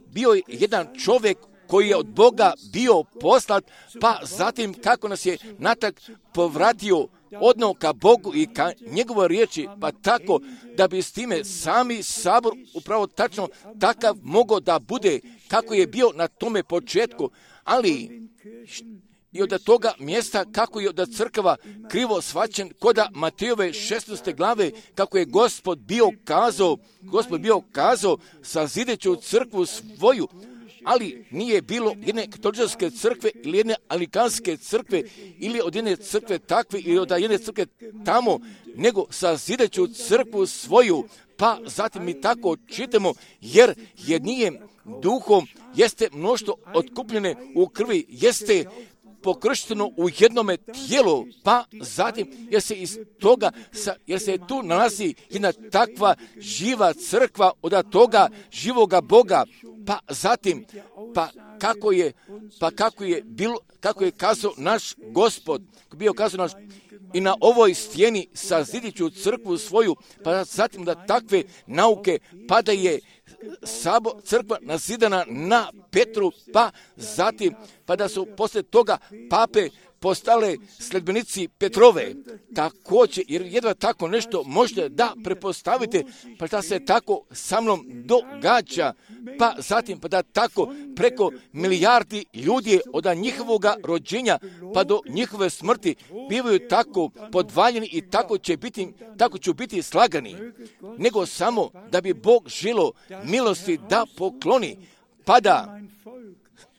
Bio je jedan čovjek koji je od Boga bio poslat, pa zatim kako nas je natrag povratio odno ka Bogu i ka njegovoj riječi, pa tako da bi s time sami sabor upravo tačno takav mogao da bude kako je bio na tome početku, ali i od toga mjesta kako je od crkava krivo shvaćen kod Matejove šesnaeste glave, kako je Gospod bio kazao, Gospod bio kazao sazideću crkvu svoju, ali nije bilo jedne katoličke crkve ili jedne anglikanske crkve ili od jedne crkve takve ili od jedne crkve tamo, nego sazideću crkvu svoju, pa zatim mi tako čitamo, jer jednijem duhom jeste mnoštvo otkupljene u krvi, jeste pokršteno u jednome tijelu, pa zatim jer se iz toga, jer se tu nalazi jedna takva živa crkva od toga živoga Boga, pa zatim, pa kako je, pa kako je bilo, kako je kazao naš Gospod, bio kazao naš, i na ovoj stijeni sazidit ću crkvu svoju, pa zatim da takve nauke, pa da je sabo, crkva nazidana na Petru, pa zatim, pa da su poslije toga pape postale sledbenici Petrove. Također, jer jedva tako nešto možete da prepostavite, pa da se tako sa mnom događa, pa zatim, pa da tako preko milijardi ljudi od njihovog rođenja pa do njihove smrti bivaju tako podvaljeni i tako će biti, tako će biti slagani, nego samo da bi Bog želo milosti da pokloni, pa da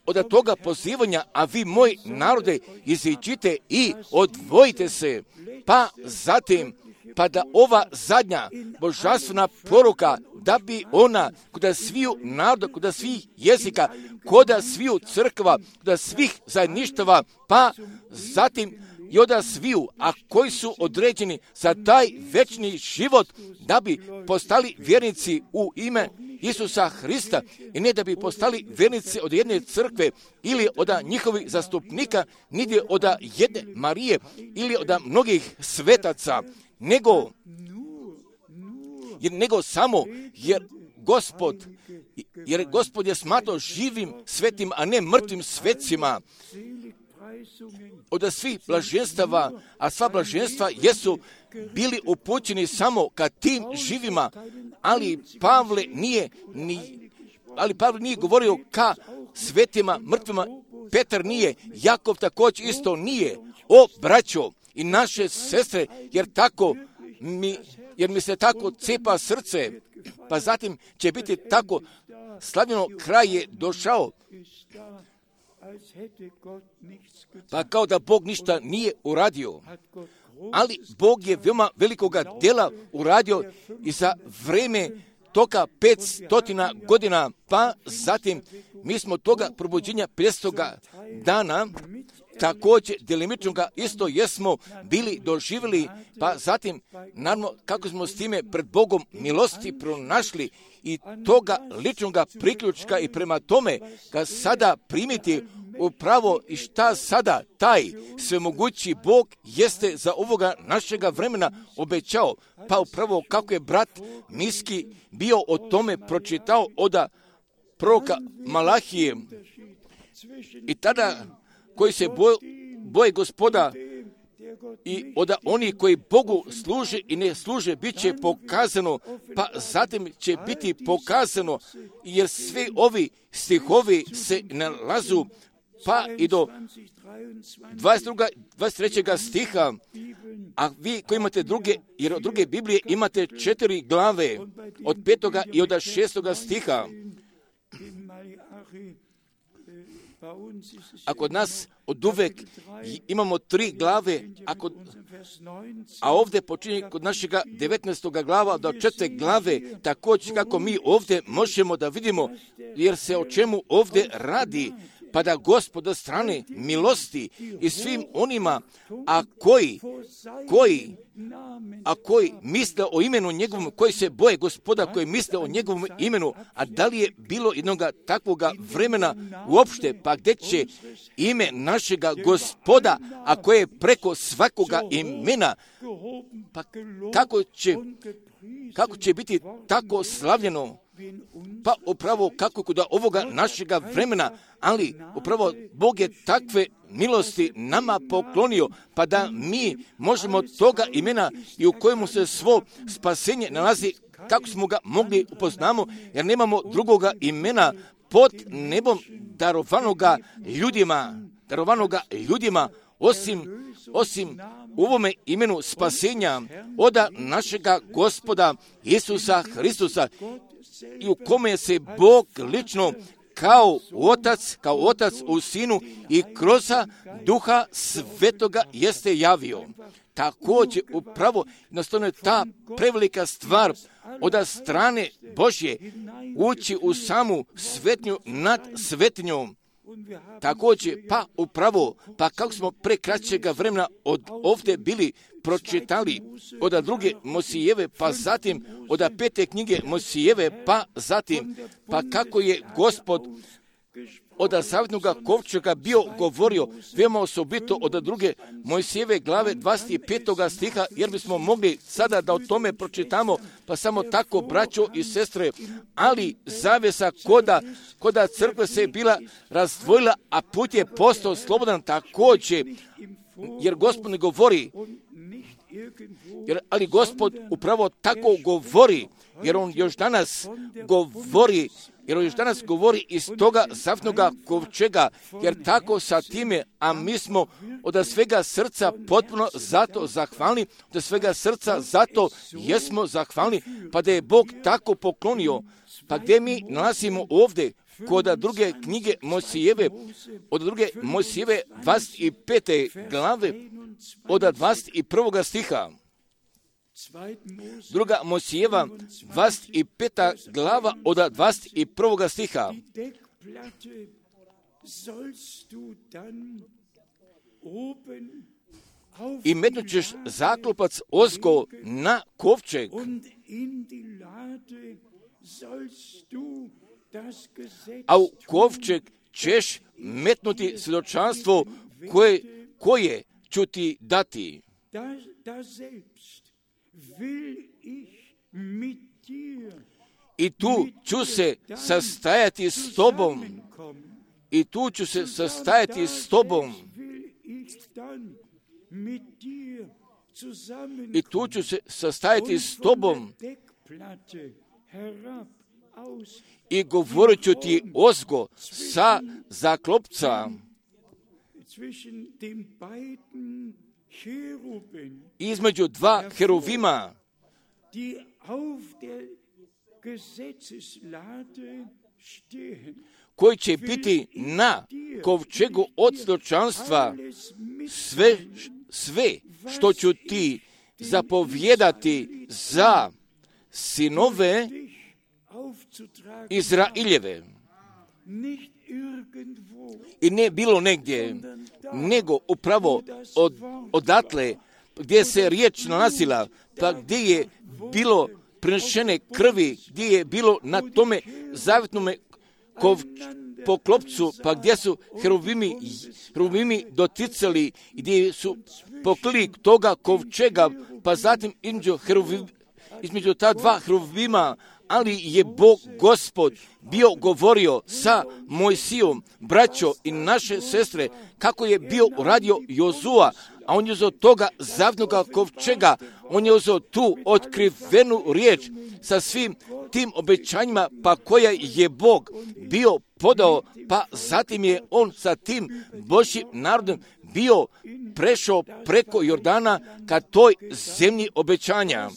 od toga pozivanja, a vi moj narode iziđite i odvojite se, pa zatim, pa da ova zadnja božanstvena poruka, da bi ona kod sviju naroda, kod svih jezika, kod sviju crkva, kod svih zajedništava, pa zatim i od sviju, a koji su određeni za taj večni život, da bi postali vjernici u ime Isusa Hrista i ne da bi postali vjernici od jedne crkve ili od njihovih zastupnika, niti od jedne Marije ili od mnogih svetaca, nego, jer, nego samo jer Gospod, jer Gospod je smatrao živim svetim, a ne mrtvim svecima. Od svih blaženstava, a sva blaženstva jesu bili upućeni samo ka tim živima, ali Pavle nije, ni, ali Pavle nije govorio ka svetima, mrtvima, Petar nije, Jakov također isto nije. O braćo i naše sestre, jer tako mi, jer mi se tako cepa srce, pa zatim će biti tako slavljeno, kraj je došao, pa kao da Bog ništa nije uradio. Ali Bog je veoma velikoga dela uradio i za vreme toga petstotina godina, pa zatim mi smo toga probuđenja petstoga dana također delimično ga isto jesmo bili doživjeli, pa zatim naravno kako smo s time pred Bogom milosti pronašli i toga ličnog priključka i prema tome ga sada primiti upravo i šta sada taj svemogući Bog jeste za ovoga našega vremena obećao, pa upravo kako je brat Miski bio o tome pročitao od proroka Malahije i tada koji se boje, boje Gospoda i od onih koji Bogu služe i ne služe bit će pokazano, pa zatim će biti pokazano, jer sve ovi stihovi se nalazu pa i do dvadeset drugog, dvadeset trećeg stiha, a vi koji imate druge, jer od druge Biblije imate četiri glave, od petoga i od šestoga stiha. A kod nas od uvek imamo tri glave, a, kod, a ovdje počinje kod našega devetnaestoga glava do četvrte glave, također kako mi ovdje možemo da vidimo, jer se o čemu ovdje radi, pa da Gospod od strane milosti i svim onima, a koji, koji, a koji misle o imenu njegovom, koji se boje Gospoda, koji misle o njegovom imenu, a da li je bilo jednoga takvoga vremena uopšte, pa gdje će ime našega Gospoda, a koje je preko svakoga imena, pa kako će, kako će biti tako slavljeno, pa upravo kako kod ovoga našega vremena, ali upravo Bog je takve milosti nama poklonio, pa da mi možemo toga imena i u kojemu se svo spasenje nalazi, kako smo ga mogli upoznamo, jer nemamo drugoga imena pod nebom darovanoga ljudima, darovanoga ljudima, osim, osim u ovome imenu spasenja od našega Gospoda Isusa Hristusa, i u kome se Bog lično kao otac, kao otac u sinu i kroz duha svetoga jeste javio. Također upravo jednostavno je ta prevelika stvar od strane Božje ući u samu svetnju nad svetnjom. Također, pa upravo, pa kako smo pre kraćega vremena od ovdje bili pročitali od druge Mosijeve, pa zatim od pete knjige Mosijeve, pa zatim, pa kako je Gospod od zavjetnog kovčega bio govorio veoma osobito od druge Mojsijeve glave dvadeset petog stiha, jer bismo mogli sada da o tome pročitamo, pa samo tako, braćo i sestre, ali zavjesa koda, koda crkve se bila razdvojila, a put je postao slobodan također, jer Gospod ne govori, jer, ali Gospod upravo tako govori, jer on još danas govori, jer on još danas govori iz toga zavjetnoga kovčega, jer tako sa time, a mi smo od svega srca potpuno zato zahvalni, od svega srca zato jesmo zahvalni, pa da je Bog tako poklonio, pa gdje mi nalazimo ovdje, kod druge knjige Mojsijeve, od druge Mojsijeve dvadeset pete glave, od dvadeset prvog stiha. Druga Mojsijeva dvadeset peta glava od dvadeset prvog stiha. I metnut ćeš zaklopac ozgo na kovčeg, a u kovčeg ćeš metnuti svjedočanstvo koje, koje ću ti dati. I tu ću se sastajati s tobom. I tu ću se sastajati s tobom. I tu ću se sastajati s tobom. I govorit ću ti ozgo sa zaklopca između dva heruvima, koji će biti na kovčegu od svjedočanstva, sve, sve što ću ti zapovjedati za sinove Izraeljeve. I ne bilo negdje, nego upravo od, odatle gdje se riječ nalazila, pa gdje je bilo prinešene krvi, gdje je bilo na tome zavjetnome kov, poklopcu, pa gdje su heruvimi, heruvimi doticali, gdje su poklili toga kovčega, pa zatim između, heruvim, između ta dva heruvima, ali je Bog Gospod bio govorio sa Mojsijom, braćo i naše sestre, kako je bio uradio Jozua, a on je uzeo toga zavjetnoga kovčega, on je uzeo tu otkrivenu riječ sa svim tim obećanjima, pa koja je Bog bio podao, pa zatim je on sa tim Božjim narodom bio prešao preko Jordana ka toj zemlji obećanja.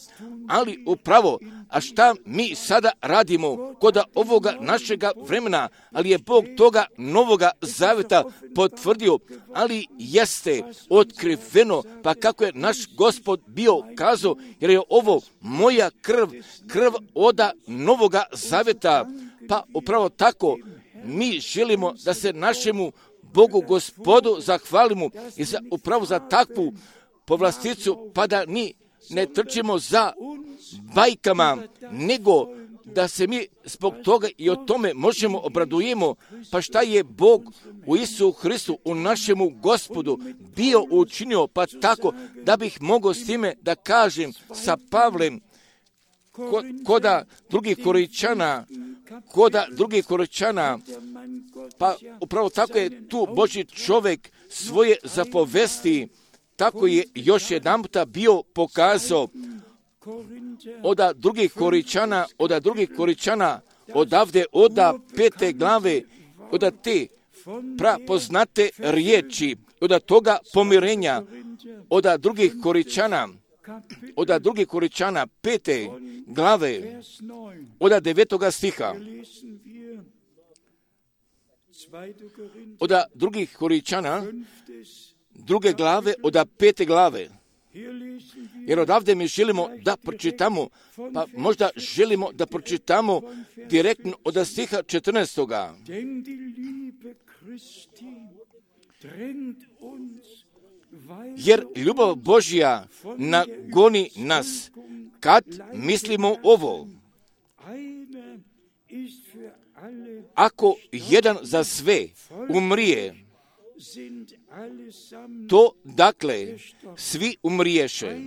Ali upravo, a šta mi sada radimo kod ovoga našega vremena, ali je Bog toga novoga zavjeta potvrdio, ali jeste otkriveno, pa kako je naš Gospod bio kazao, jer je ovo moja krv, krv oda novoga zavjeta, pa upravo tako mi želimo da se našemu Bogu Gospodu zahvalimo i za, upravo za takvu povlasticu, pa da ni ne trčimo za bajkama, nego da se mi zbog toga i o tome možemo obradujemo, pa šta je Bog u Isusu Hristu, u našemu Gospodu bio učinio, pa tako da bih mogao s time da kažem sa Pavlem, ko, koda drugih Korinčana, koda drugih Korinčana, pa upravo tako je tu Božji čovjek svoje zapovesti, tako je još jedan puta bio pokazao od drugih Korinčana, od drugih Korinčana, odavde, od pete glave, od te prapoznate riječi, od toga pomirenja, od drugih Korinčana, od drugih Korinčana, pete glave, od devetoga stiha, od drugih Korinčana, druge glave, od pete glave. Jer odavde mi želimo da pročitamo, pa možda želimo da pročitamo direktno od stiha četrnaestoga. Jer ljubav Božja nagoni nas, kad mislimo ovo. ako jedan za sve umrije, to dakle svi umriješe.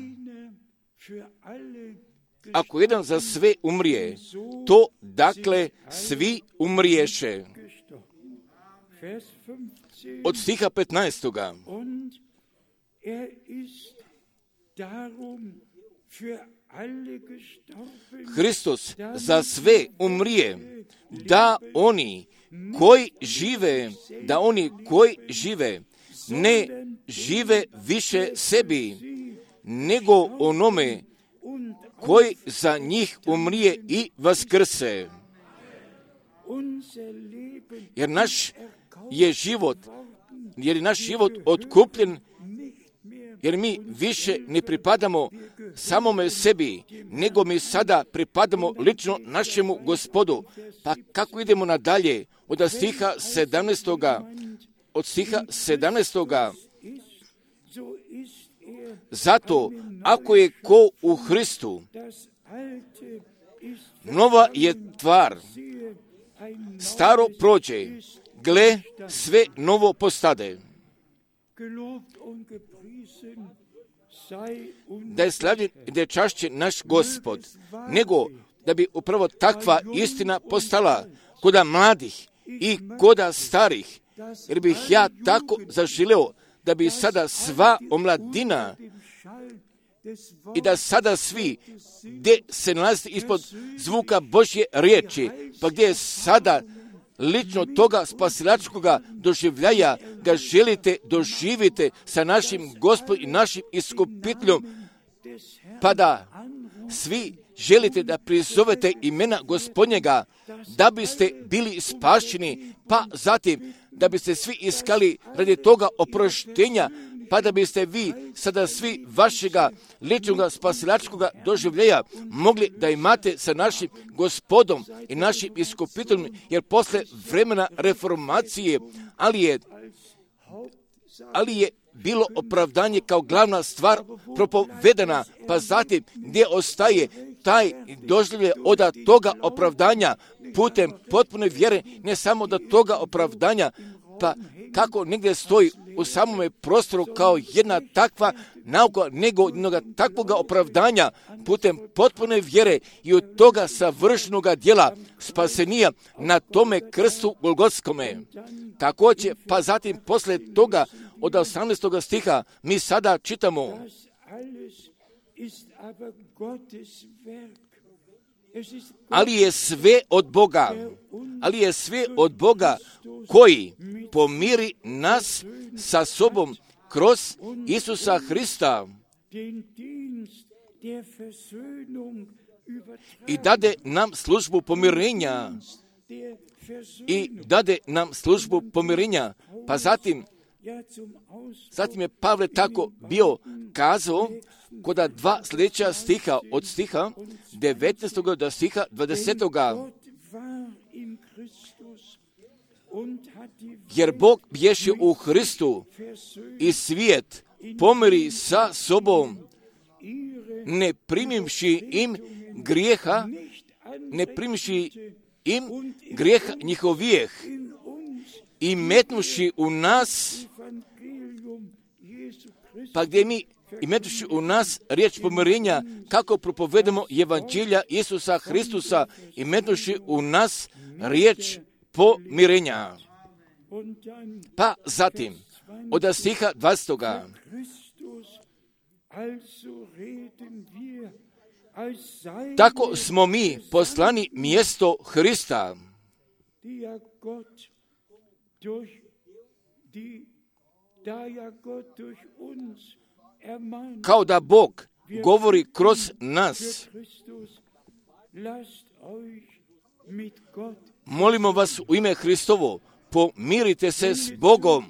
Ako jedan za sve umrije, to dakle svi umriješe. Od stiha petnaestoga. Hristos za sve umrije, da oni koji žive, da oni koji žive, ne žive više sebi, nego onome koji za njih umrije i vaskrse. Jer naš je život, jer je naš život otkupljen, jer mi više ne pripadamo samome sebi, nego mi sada pripadamo lično našemu Gospodu. Pa kako idemo nadalje? Od stiha sedamnaestoga. Od stiha sedamnaestoga. Zato, ako je ko u Hristu, nova je tvar, staro prođe, gle, sve novo postade. Da je slavljen i da je čašćen naš Gospod, nego da bi upravo takva istina postala koda mladih i koda starih, jer bih ja tako zaželeo da bi sada sva omladina i da sada svi gdje se nalazi ispod zvuka Božje riječi, pa gdje je sada lično toga spasilačkoga doživljaja ga želite doživite sa našim Gospodom i našim iskupiteljom, pa da svi želite da prizovete imena Gospodnjega, da biste bili spašeni, pa zatim da biste svi iskali radi toga oproštenja, pa da biste vi sada svi vašega ličnog spasilačkoga doživljaja mogli da imate sa našim Gospodom i našim iskupiteljem, jer posle vremena reformacije, ali je, ali je bilo opravdanje kao glavna stvar propovedana, pa zatim gdje ostaje taj doživljaj od toga opravdanja putem potpune vjere, ne samo do toga opravdanja, pa kako negdje stoji u samome prostoru kao jedna takva nauka, nego jednog takvoga opravdanja putem potpune vjere i od toga savršenoga djela spasenija na tome krstu Golgotskome. Također, pa zatim posle toga od osamnaestog stiha mi sada čitamo: ali je sve od Boga, ali je sve od Boga koji pomiri nas sa sobom kroz Isusa Hrista i dade nam službu pomirenja. I dade nam službu pomirenja. Pa zatim, zatim je Pavle tako bio kazao kod dva sljedeća stiha, od stiha devetnaestog do stiha dvadesetog. Jer Bog bješe u Hristu i svijet pomiri sa sobom, ne primivši im grijeha, ne primivši im grijeha njihovijeh i metnuši u nas, pa gdje mi i metuši u nas riječ pomirenja, kako propovedemo evanđelja Isusa Hristusa i metuši u nas riječ pomirenja. Pa zatim, od stiha dvadesetog. Tako smo mi poslani mjesto Hrista, kao da Bog govori kroz nas. Molimo vas u ime Hristovo, pomirite se s Bogom.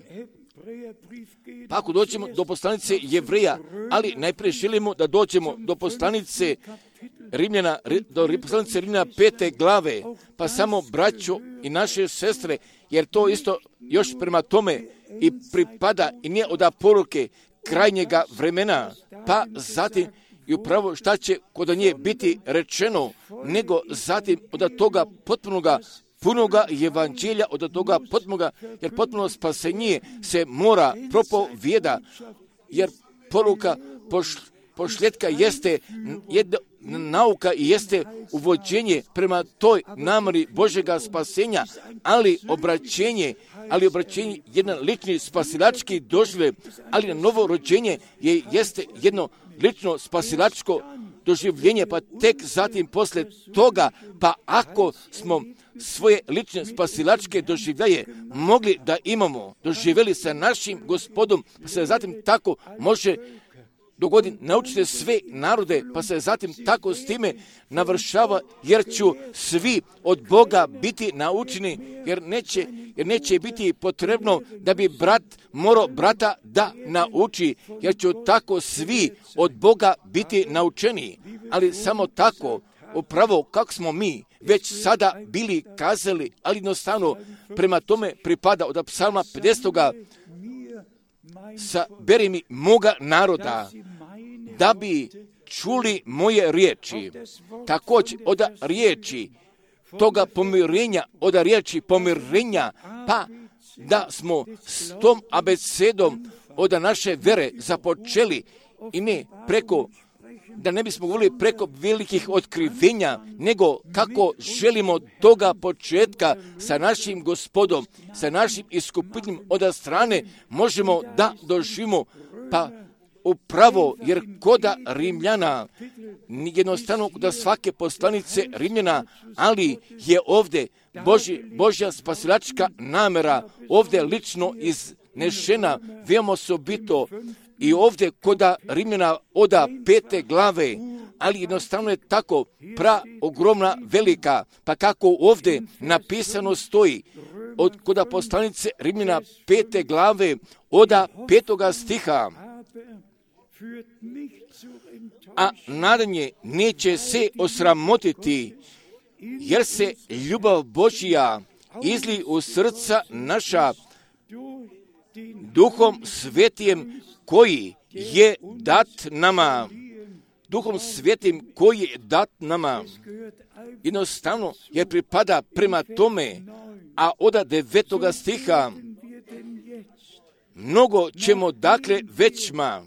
Pa ako dođemo do poslanice Jevreja, ali najprije želimo da dođemo do poslanice Rimljana, do poslanice Rimljana pete glave, pa samo braćo i naše sestre, jer to isto još prema tome i pripada i nije od poruke krajnjega vremena, pa zatim i upravo šta će kod nje biti rečeno, nego zatim od toga potpunoga, punoga evanđelja, od toga potpunoga, jer potpuno spasenje se mora propovijeda, jer poruka poš, pošljetka jeste jedna nauka i jeste uvođenje prema toj namjeri Božjega spasenja, ali obraćenje, ali obraćenje jedan lični spasilački doživljaj, ali novo rođenje je, jeste jedno lično spasilačko doživljenje, pa tek zatim posle toga, pa ako smo svoje lične spasilačke doživljaje mogli da imamo, doživjeli sa našim Gospodom, pa se zatim tako može dogoditi, naučite sve narode, pa se zatim tako s time navršava, jer ću svi od Boga biti naučeni, jer neće, jer neće biti potrebno da bi brat morao brata da nauči, jer ću tako svi od Boga biti naučeni, ali samo tako, upravo kako smo mi već sada bili kazali, ali jednostavno prema tome pripada od psalma pedesetoga saberi mi moga naroda, da bi čuli moje riječi. Također od riječi toga pomirenja, od riječi pomirenja, pa da smo s tom abecedom od naše vere započeli i ne preko, da ne bismo govorili preko velikih otkrivenja, nego kako želimo toga početka sa našim Gospodom, sa našim iskupiteljem od strane možemo da doživimo, pa upravo, jer koda Rimljana, jednostavno da svake poslanice Rimljana, ali je ovdje Božji, Božja spasilačka namjera ovdje lično iznešena, veoma osobito i ovdje koda Rimljana oda pete glave, ali jednostavno je tako pra ogromna velika, pa kako ovdje napisano stoji, od koda poslanice Rimljana pete glave oda petoga stiha, a nadanje neće se osramotiti, jer se ljubav Božja izli u srca naša Duhom Svetijem koji je dat nama. Duhom Svetim koji je dat nama. Jednostavno jer pripada prema tome, a od devetoga stiha mnogo ćemo dakle većma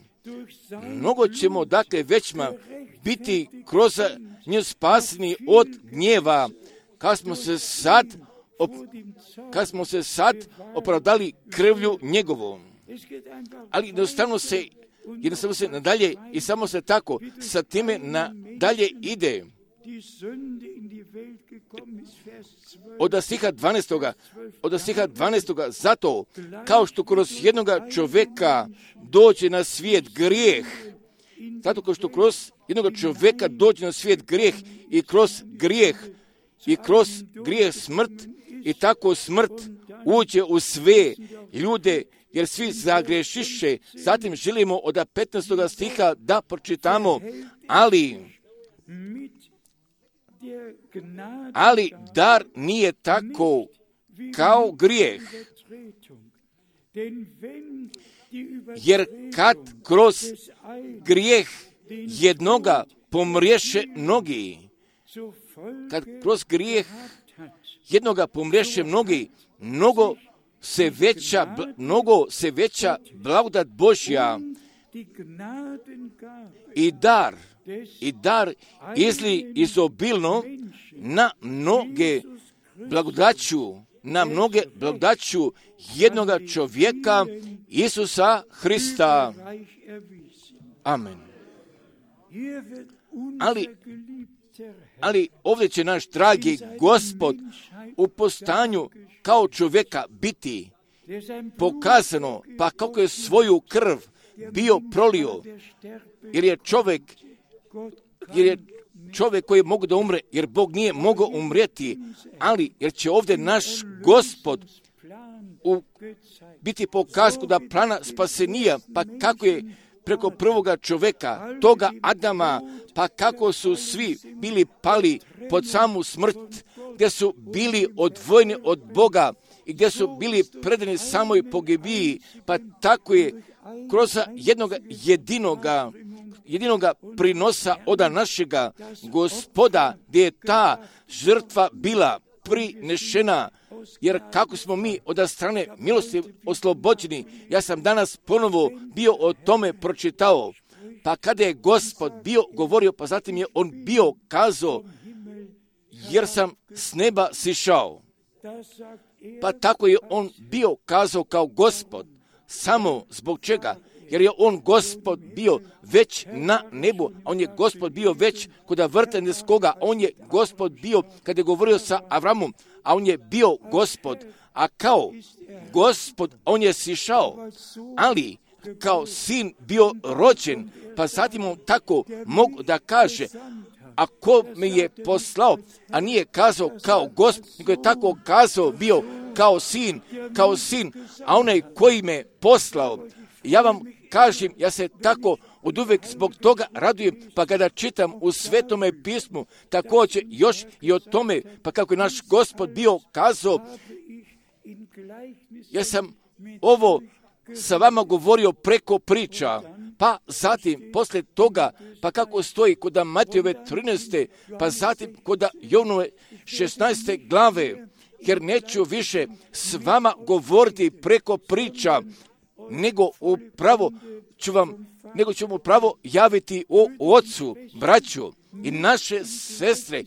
Mnogo ćemo dakle većma biti kroz nju spasni od gnjeva, kad smo se sad, op, kad smo se sad opravdali krvlju njegovom. Ali jednostavno se, jednostavno se nadalje i samo se tako sa time nadalje ide. Od stiha dvanaestoga od stiha dvanaestoga zato kao što kroz jednoga čovjeka dođe na svijet grijeh, zato kao što kroz jednoga čovjeka dođe na svijet grijeh i kroz grijeh i kroz grijeh smrt i tako smrt uđe u sve ljude, jer svi zagrešiše. Zatim želimo od petnaestoga stiha da pročitamo, ali ali dar nije tako kao grijeh, jer kad kroz grijeh jednoga pomriješe mnogi, kad kroz grijeh jednoga pomriješe mnogi, mnogo se veća, mnogo se veća blagodat Božja i dar, i dar izli izobilno na mnoge blagodaću, na mnoge blagodaću jednoga čovjeka, Isusa Hrista. Amen. Ali, ali ovdje će naš dragi Gospod u postanju kao čovjeka biti pokazano, pa kako je svoju krv bio prolio, jer je čovjek, jer je čovjek koji je mogu da umre, jer Bog nije mogao umrijeti, ali jer će ovdje naš Gospod u, biti pokazku da plana spasenija, pa kako je preko prvoga čovjeka, toga Adama, pa kako su svi bili pali pod samu smrt, gdje su bili odvojeni od Boga i gdje su bili predani samoj pogibiji, pa tako je kroz jednog jedinoga, jedinoga prinosa oda našega Gospoda, gdje je ta žrtva bila prinešena, jer kako smo mi od strane milosti oslobođeni, ja sam danas ponovo bio o tome pročitao, pa kada je Gospod bio govorio, pa zatim je on bio kazao, jer sam s neba sišao. Pa tako je on bio kazao kao Gospod, samo zbog čega? Jer je on Gospod bio već na nebu, a on je Gospod bio već kod vrteneskoga, on je Gospod bio kada je govorio sa Avramom, a on je bio Gospod, a kao Gospod on je sišao, ali kao sin bio rođen, pa zatim on tako mogu da kaže, a ko me je poslao, a nije kazao kao Gospod, nego je tako kazao bio kao sin, kao sin, a onaj koji me poslao, ja vam kažem, ja se tako od uvek zbog toga radujem, pa kada čitam u Svetome pismu, također još i o tome, pa kako je naš Gospod bio kazao, ja sam ovo sa vama govorio preko priča, pa zatim, posle toga, pa kako stoji kod Matejove trinaeste, pa zatim kod Jovnove šesnaeste glave, jer neću više s vama govoriti preko priča, nego upravo ću vam, nego ću vam upravo javiti o Otcu, braću i naše sestre,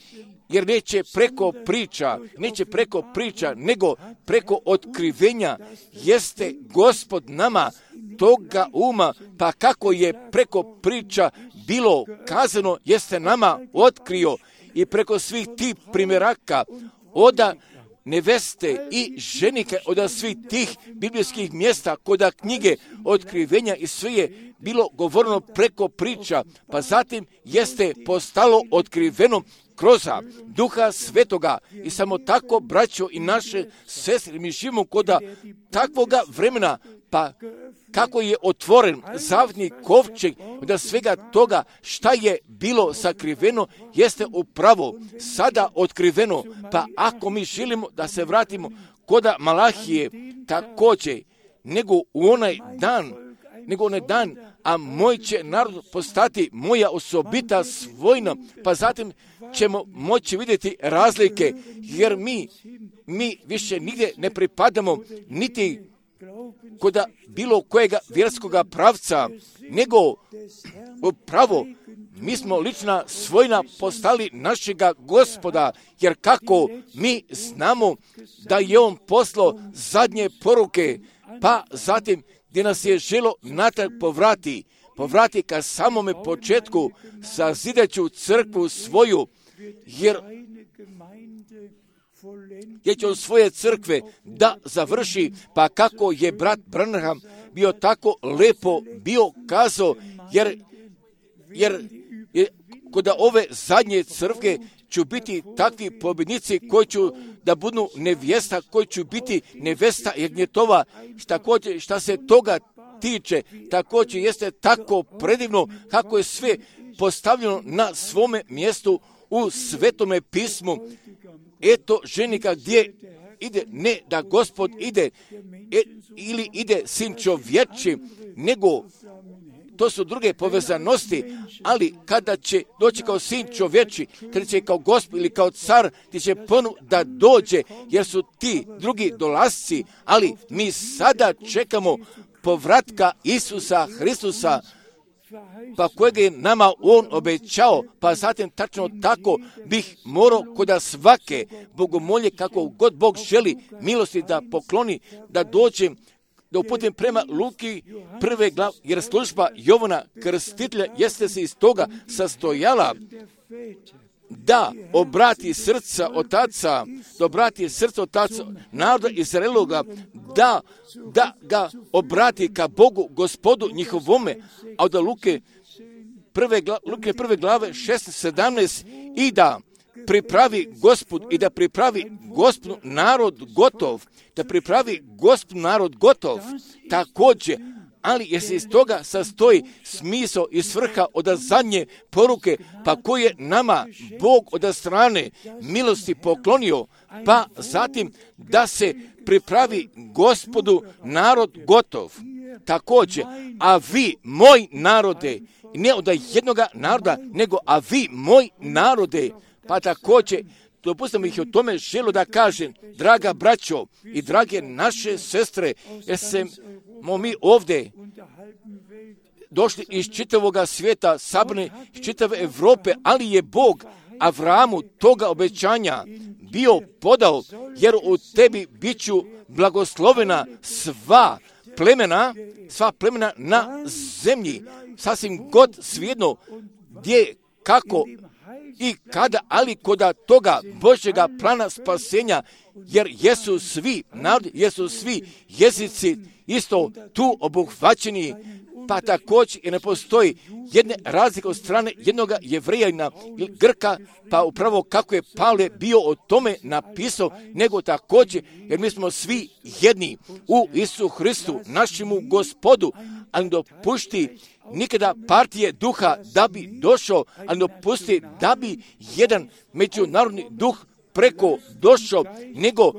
jer neće preko priča, neće preko priča, nego preko otkrivenja jeste Gospod nama toga uma, pa kako je preko priča bilo kazano, jeste nama otkrio i preko svih tih primjeraka oda neveste i ženike od svih tih biblijskih mjesta koda knjige otkrivenja i sve je bilo govoreno preko priča, pa zatim jeste postalo otkriveno kroz Duha Svetoga i samo tako, braćo i naše sestre, mi živimo koda takvoga vremena, pa kako je otvoren zavetni kovčeg da svega toga šta je bilo sakriveno jeste upravo sada otkriveno, pa ako mi želimo da se vratimo koda Malahije također, nego u onaj dan, nego onaj dan, a moj će narod postati moja osobita svojina, pa zatim ćemo moći vidjeti razlike, jer mi, mi više nigdje ne pripadamo, niti koda bilo kojega vjerskoga pravca, nego upravo mi smo lična svojina postali našega Gospoda, jer kako mi znamo da je on poslao zadnje poruke, pa zatim gdje nas je želo natrag povrati, povrati ka samome početku, sazidaću crkvu svoju, jer jer će on svoje crkve da završi, pa kako je brat Branham bio tako lepo bio kazao, jer, jer je, kod ove zadnje crkve ću biti takvi pobjednici koji ću da budu nevjesta, koji ću biti nevesta jagnjetova, također šta se toga tiče, također jeste tako predivno kako je sve postavljeno na svome mjestu u Svetome pismu. Eto ženika gdje ide, ne da Gospod ide e, ili ide sin čovječi, nego to su druge povezanosti, ali kada će doći kao sin čovječi, kada će kao Gospod ili kao car, ti će ponu da dođe, jer su ti drugi dolasci, ali mi sada čekamo povratka Isusa Hristusa, pa kojeg je nama on obećao, pa zatim tačno tako bih morao koda svake bogomolje, kako god Bog želi milosti da pokloni, da dođem, da uputim prema Luki prve glave, jer služba Jovana Krstitelja jeste se iz toga sastojala da obrati srca otaca, da obrati srca otaca naroda Izraeloga, da, da ga obrati ka Bogu, Gospodu njihovome, a od Luke prve, Luke prve glave šesnaest sedamnaest i da pripravi Gospod i da pripravi Gospod narod gotov, da pripravi Gospod narod gotov, također, ali jer se iz toga sastoji smisao i svrha od zadnje poruke, pa koje nama Bog od strane milosti poklonio, pa zatim da se pripravi Gospodu narod gotov. Također, a vi, moj narode, ne od jednoga naroda, nego a vi moj narode. Pa također, dopustite mi ih o tome želo da kažem, draga braćo i drage naše sestre, jer smo mi ovdje došli iz čitavoga svijeta, sabrani iz čitave Europe, ali je Bog Avramu toga obećanja bio podao, jer u tebi bit ću blagoslovena sva plemena, sva plemena na zemlji, sasvim god svijedno gdje, kako i kada, ali koda toga Božjega plana spasenja, jer jesu svi narodi, jesu svi jezici isto tu obuhvaćeni, pa također i ne postoji jedne razlike od strane jednog Jevrejanina ili Grka, pa upravo kako je Pavle bio o tome napisao, nego također, jer mi smo svi jedni u Isu Hristu, našemu Gospodu, ali dopušti nikada partije duha da bi došao, ali dopusti da bi jedan međunarodni duh preko došao, nego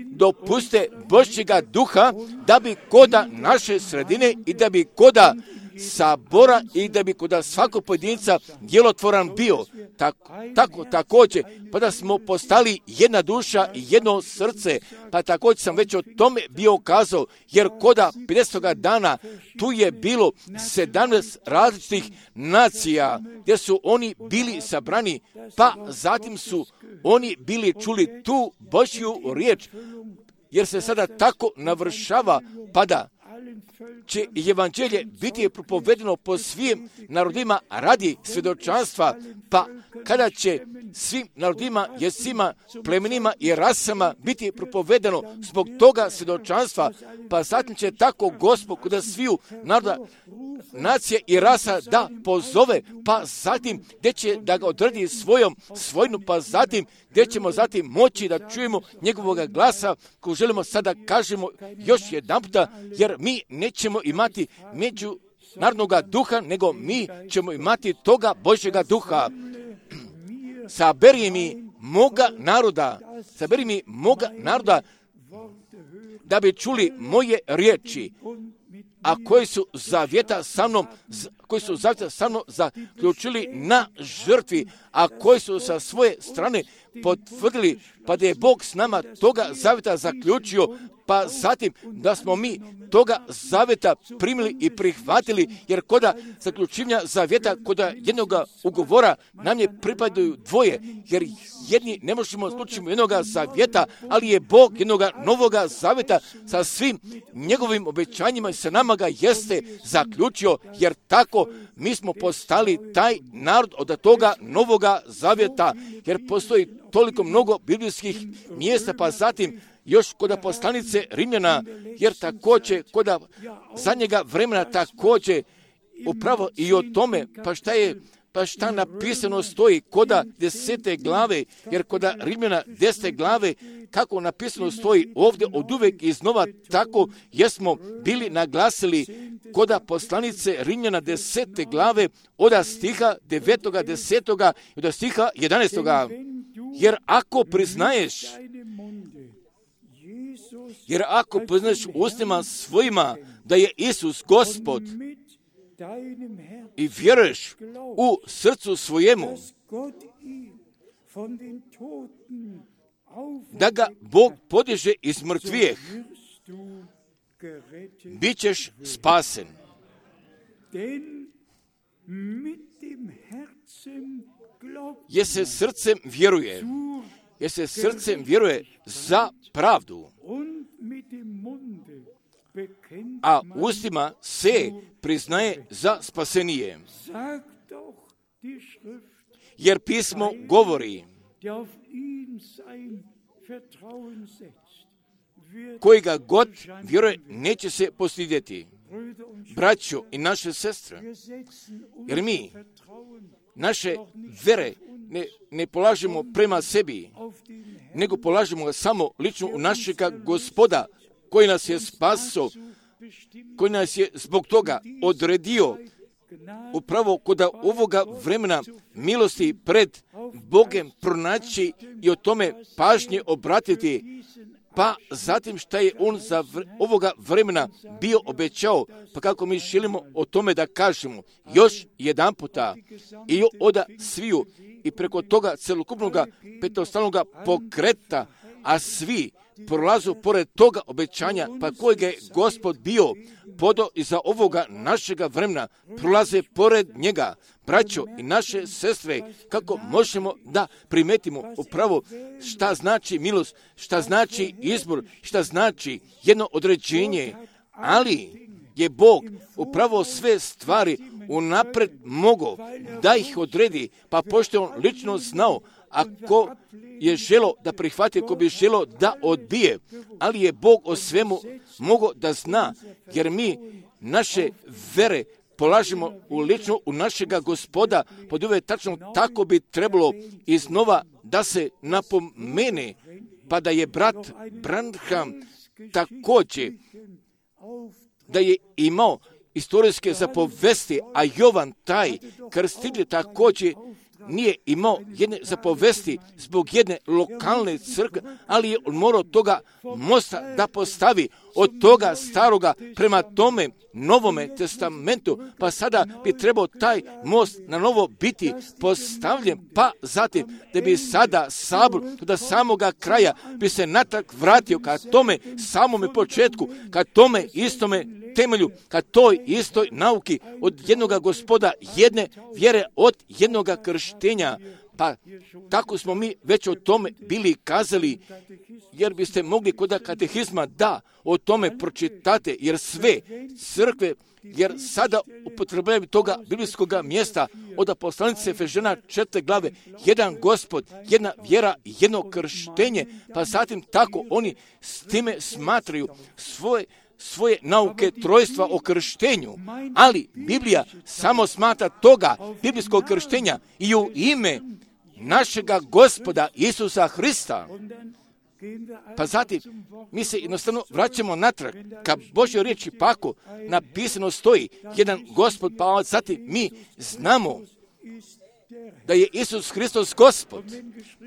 dopuste Božjega duha da bi koda naše sredine i da bi koda sabora i da bi koda svakog pojedinca djelotvoran bio. Tako, tako također, pa da smo postali jedna duša i jedno srce, pa također sam već o tome bio kazao, jer koda pedesetoga dana tu je bilo sedamnaest različitih nacija, gdje su oni bili sabrani, pa zatim su oni bili čuli tu Božju riječ, jer se sada tako navršava, pa da će evanđelje biti propovedeno po svim narodima radi svjedočanstva, pa kada će svim narodima, jezicima, plemenima i rasama biti propovedeno zbog toga svjedočanstva, pa zatim će tako Gospod kod sviju naroda, nacije i rasa da pozove, pa zatim gdje će da ga odredi svojom svojinu, pa zatim gdje ćemo zatim moći da čujemo njegovog glasa, ko želimo sada kažemo još jedan puta, jer mi nećemo imati međunarodnoga duha, nego mi ćemo imati toga Božjega duha. Saberi mi moga naroda, saberi mi moga naroda, da bi čuli moje riječi, a koji su zavjeta sa mnom, koji su zavjeta sa mnom zaključili na žrtvi, a koji su sa svoje strane potvrdili, pa da je Bog s nama toga zavjeta zaključio, pa zatim da smo mi toga zavjeta primili i prihvatili, jer koda zaključivanja zavjeta, koda jednog ugovora nam je pripadaju dvoje, jer jedni ne možemo slučiti jednog zavjeta, ali je Bog jednog novoga zavjeta sa svim njegovim obećanjima i sa nama ga jeste zaključio, jer tako mi smo postali taj narod od toga novoga zavjeta, jer postoji toliko mnogo biblijskih mjesta, pa zatim još koda poslanice Rimljana, jer također koda zadnjega vremena također upravo i o tome, pa šta je, pa šta napisano stoji koda desete glave, jer koda Rimljana desete glave, kako napisano stoji ovdje od uvek iznova, tako jesmo bili naglasili koda poslanice Rimljana desete glave, od stiha devetoga, desetoga i od stiha jedanaestoga. Jer ako priznaješ, jer ako priznaješ ustima svojima da je Isus Gospod i vjeruješ u srcu svojemu da ga Bog podiže iz mrtvijeh, bit ćeš spasen. Jer se srcem vjeruje, jer se srcem vjeruje za pravdu, a ustima se priznaje za spasenije. Jer pismo govori, koji ga god vjeruje neće se postidjeti. Braćo i naše sestre, jer mi naše vere ne, ne polažemo prema sebi, nego polažemo ga samo lično u našega Gospoda, koji nas je spasio, koji nas je zbog toga odredio upravo kod ovoga vremena milosti pred Bogem pronaći i o tome pažnje obratiti, pa zatim šta je on za vr- ovoga vremena bio obećao, pa kako mi želimo o tome da kažemo još jedan puta i oda sviju i preko toga celokupnog petostalnog pokreta, a svi prolazu pored toga obećanja, pa kojeg je Gospod bio podo iza ovoga našega vremena, prolaze pored njega. Braćo i naše sestre, kako možemo da primetimo upravo šta znači milost, šta znači izbor, šta znači jedno određenje, ali je Bog upravo sve stvari unapred mogao da ih odredi, pa pošto je on lično znao, ako je želo da prihvati, ko bi želo da odbije, ali je Bog o svemu mogao da zna, jer mi naše vere polažimo u lično u našega Gospoda, pod uvjet tačno tako bi trebalo iznova da se napomene, pa da je brat Branham također da je imao istorijske zapovesti, a Jovan taj krstitelj također nije imao jedne zapovesti zbog jedne lokalne crkve, ali je on morao toga mosta da postavi od toga staroga prema tome Novome testamentu, pa sada bi trebao taj most na novo biti postavljen, pa zatim da bi sada sabor do samoga kraja bi se natrag vratio ka tome samome početku, ka tome istome temelju, ka toj istoj nauki od jednoga Gospoda, jedne vjere, od jednoga krštenja. Pa tako smo mi već o tome bili kazali, jer biste mogli kod katehizma da o tome pročitate, jer sve crkve, jer sada upotrebljaju toga biblijskog mjesta od poslanice Efežana četvrte glave, jedan Gospod, jedna vjera, jedno krštenje, pa zatim tako oni s time smatraju svoje svoje nauke trojstva o krštenju, ali Biblija samo smatra toga biblijskog krštenja i u ime našega Gospoda Isusa Hrista. Pa zatim mi se jednostavno vraćamo natrag ka Božjoj riječi, pa ako napisano stoji jedan Gospod, pa zatim mi znamo da je Isus Hristos Gospod,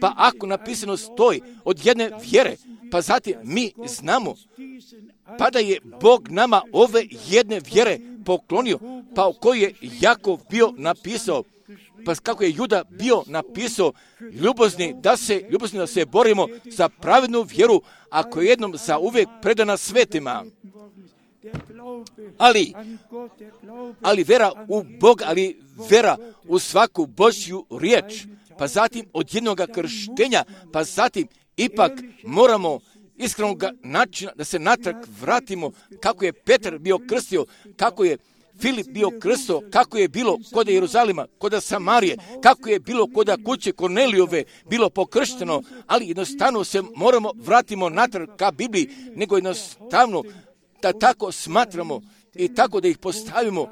pa ako napisano stoji od jedne vjere, pa zatim mi znamo pa da je Bog nama ove jedne vjere poklonio, pa u kojoj je Jakov bio napisao, pa kako je Juda bio napisao, ljubozni da se, ljubozni da se borimo za pravednu vjeru, ako je jednom za uvijek predana svetima. Ali, ali vera u Boga, ali vera u svaku Božju riječ, pa zatim od jednog krštenja, pa zatim ipak moramo iskrenog načina da se natrag vratimo kako je Petar bio krstio, kako je Filip bio krsto, kako je bilo kod Jeruzalima, kod Samarije, kako je bilo kod kuće Kornelijove bilo pokršteno, ali jednostavno se moramo vratimo natrag ka Bibliji, nego jednostavno da tako smatramo i tako da ih postavimo,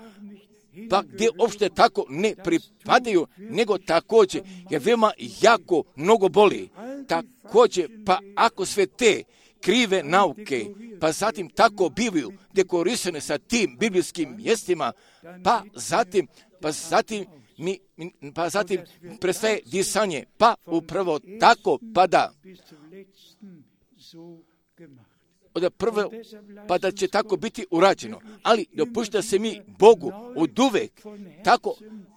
pa gdje uopšte tako ne pripadaju, nego također, jer veoma jako mnogo boli. Također, pa ako sve te krive nauke, pa zatim tako bivaju dekorisane sa tim biblijskim mjestima, pa zatim, pa zatim, mi, pa zatim prestaje disanje, pa upravo tako pada. Od prve, pa da će tako biti urađeno. Ali dopušta se mi Bogu od uvek tako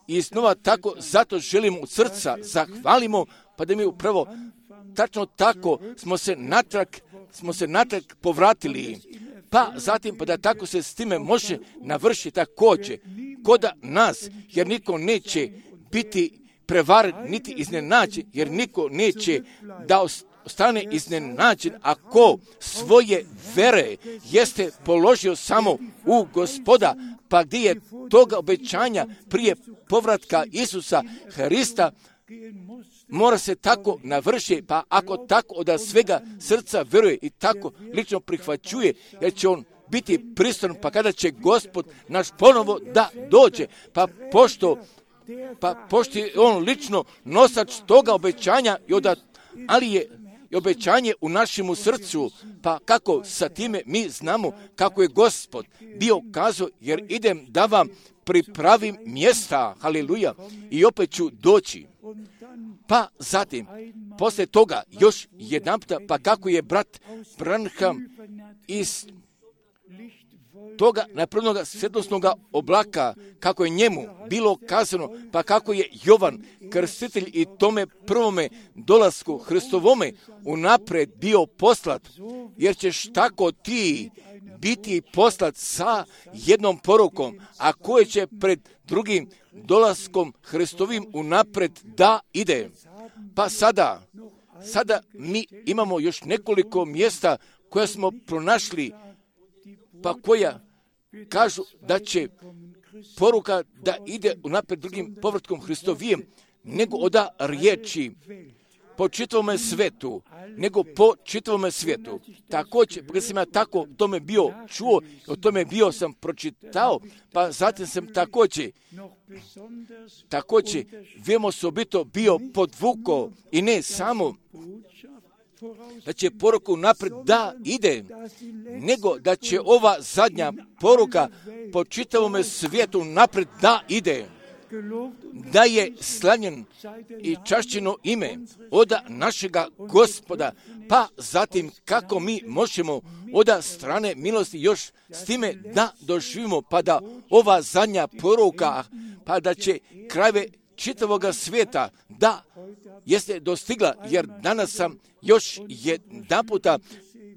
i iznova tako, zato želimo od srca zahvalimo, pa da mi upravo tačno tako smo se natrag, smo se natrag povratili. Pa zatim, pa da tako se s time može navršiti također kod nas, jer niko neće biti prevaren, niti iznenađen, jer niko neće da ostane iznenađen ako svoje vere jeste položio samo u Gospoda, pa gdje je toga obećanja prije povratka Isusa Hrista mora se tako navršiti, pa ako tako od svega srca veruje i tako lično prihvaćuje, jer će on biti pristojan, pa kada će Gospod naš ponovo da dođe, pa pošto, pa pošto je on lično nosač toga obećanja, i od, ali je i obećanje u našemu srcu, pa kako sa time mi znamo kako je Gospod bio kazao, jer idem da vam pripravim mjesta, haleluja, i opet ću doći. Pa zatim, poslije toga, još jedanputa, pa kako je brat Branham iz toga napravljenoga svjetlosnog oblaka, kako je njemu bilo kazano, pa kako je Jovan, krstitelj i tome prvome dolasku Hristovome unaprijed bio poslat, jer ćeš tako ti biti poslat sa jednom porukom, a koje će pred drugim dolaskom Hristovim unaprijed da ide. Pa sada, sada mi imamo još nekoliko mjesta koja smo pronašli, pa koja kažu da će poruka da ide unaprijed drugim povratkom Hristovijem, nego oda riječi po čitavome svetu, nego po čitavome svijetu. Također, kada sam ja tako o tome bio čuo, o tome bio sam pročitao, pa zatim sam također, također, veoma osobito bio podvukao i ne samo da će poruka unaprijed da ide, nego da će ova zadnja poruka po čitavome svijetu naprijed da ide, da je slavljen i čašćeno ime od našega Gospoda, pa zatim kako mi možemo od strane milosti još s time da doživimo, pa da ova zadnja poruka, pa da će krajeve čitavoga svijeta da jeste dostigla, jer danas sam još jedan puta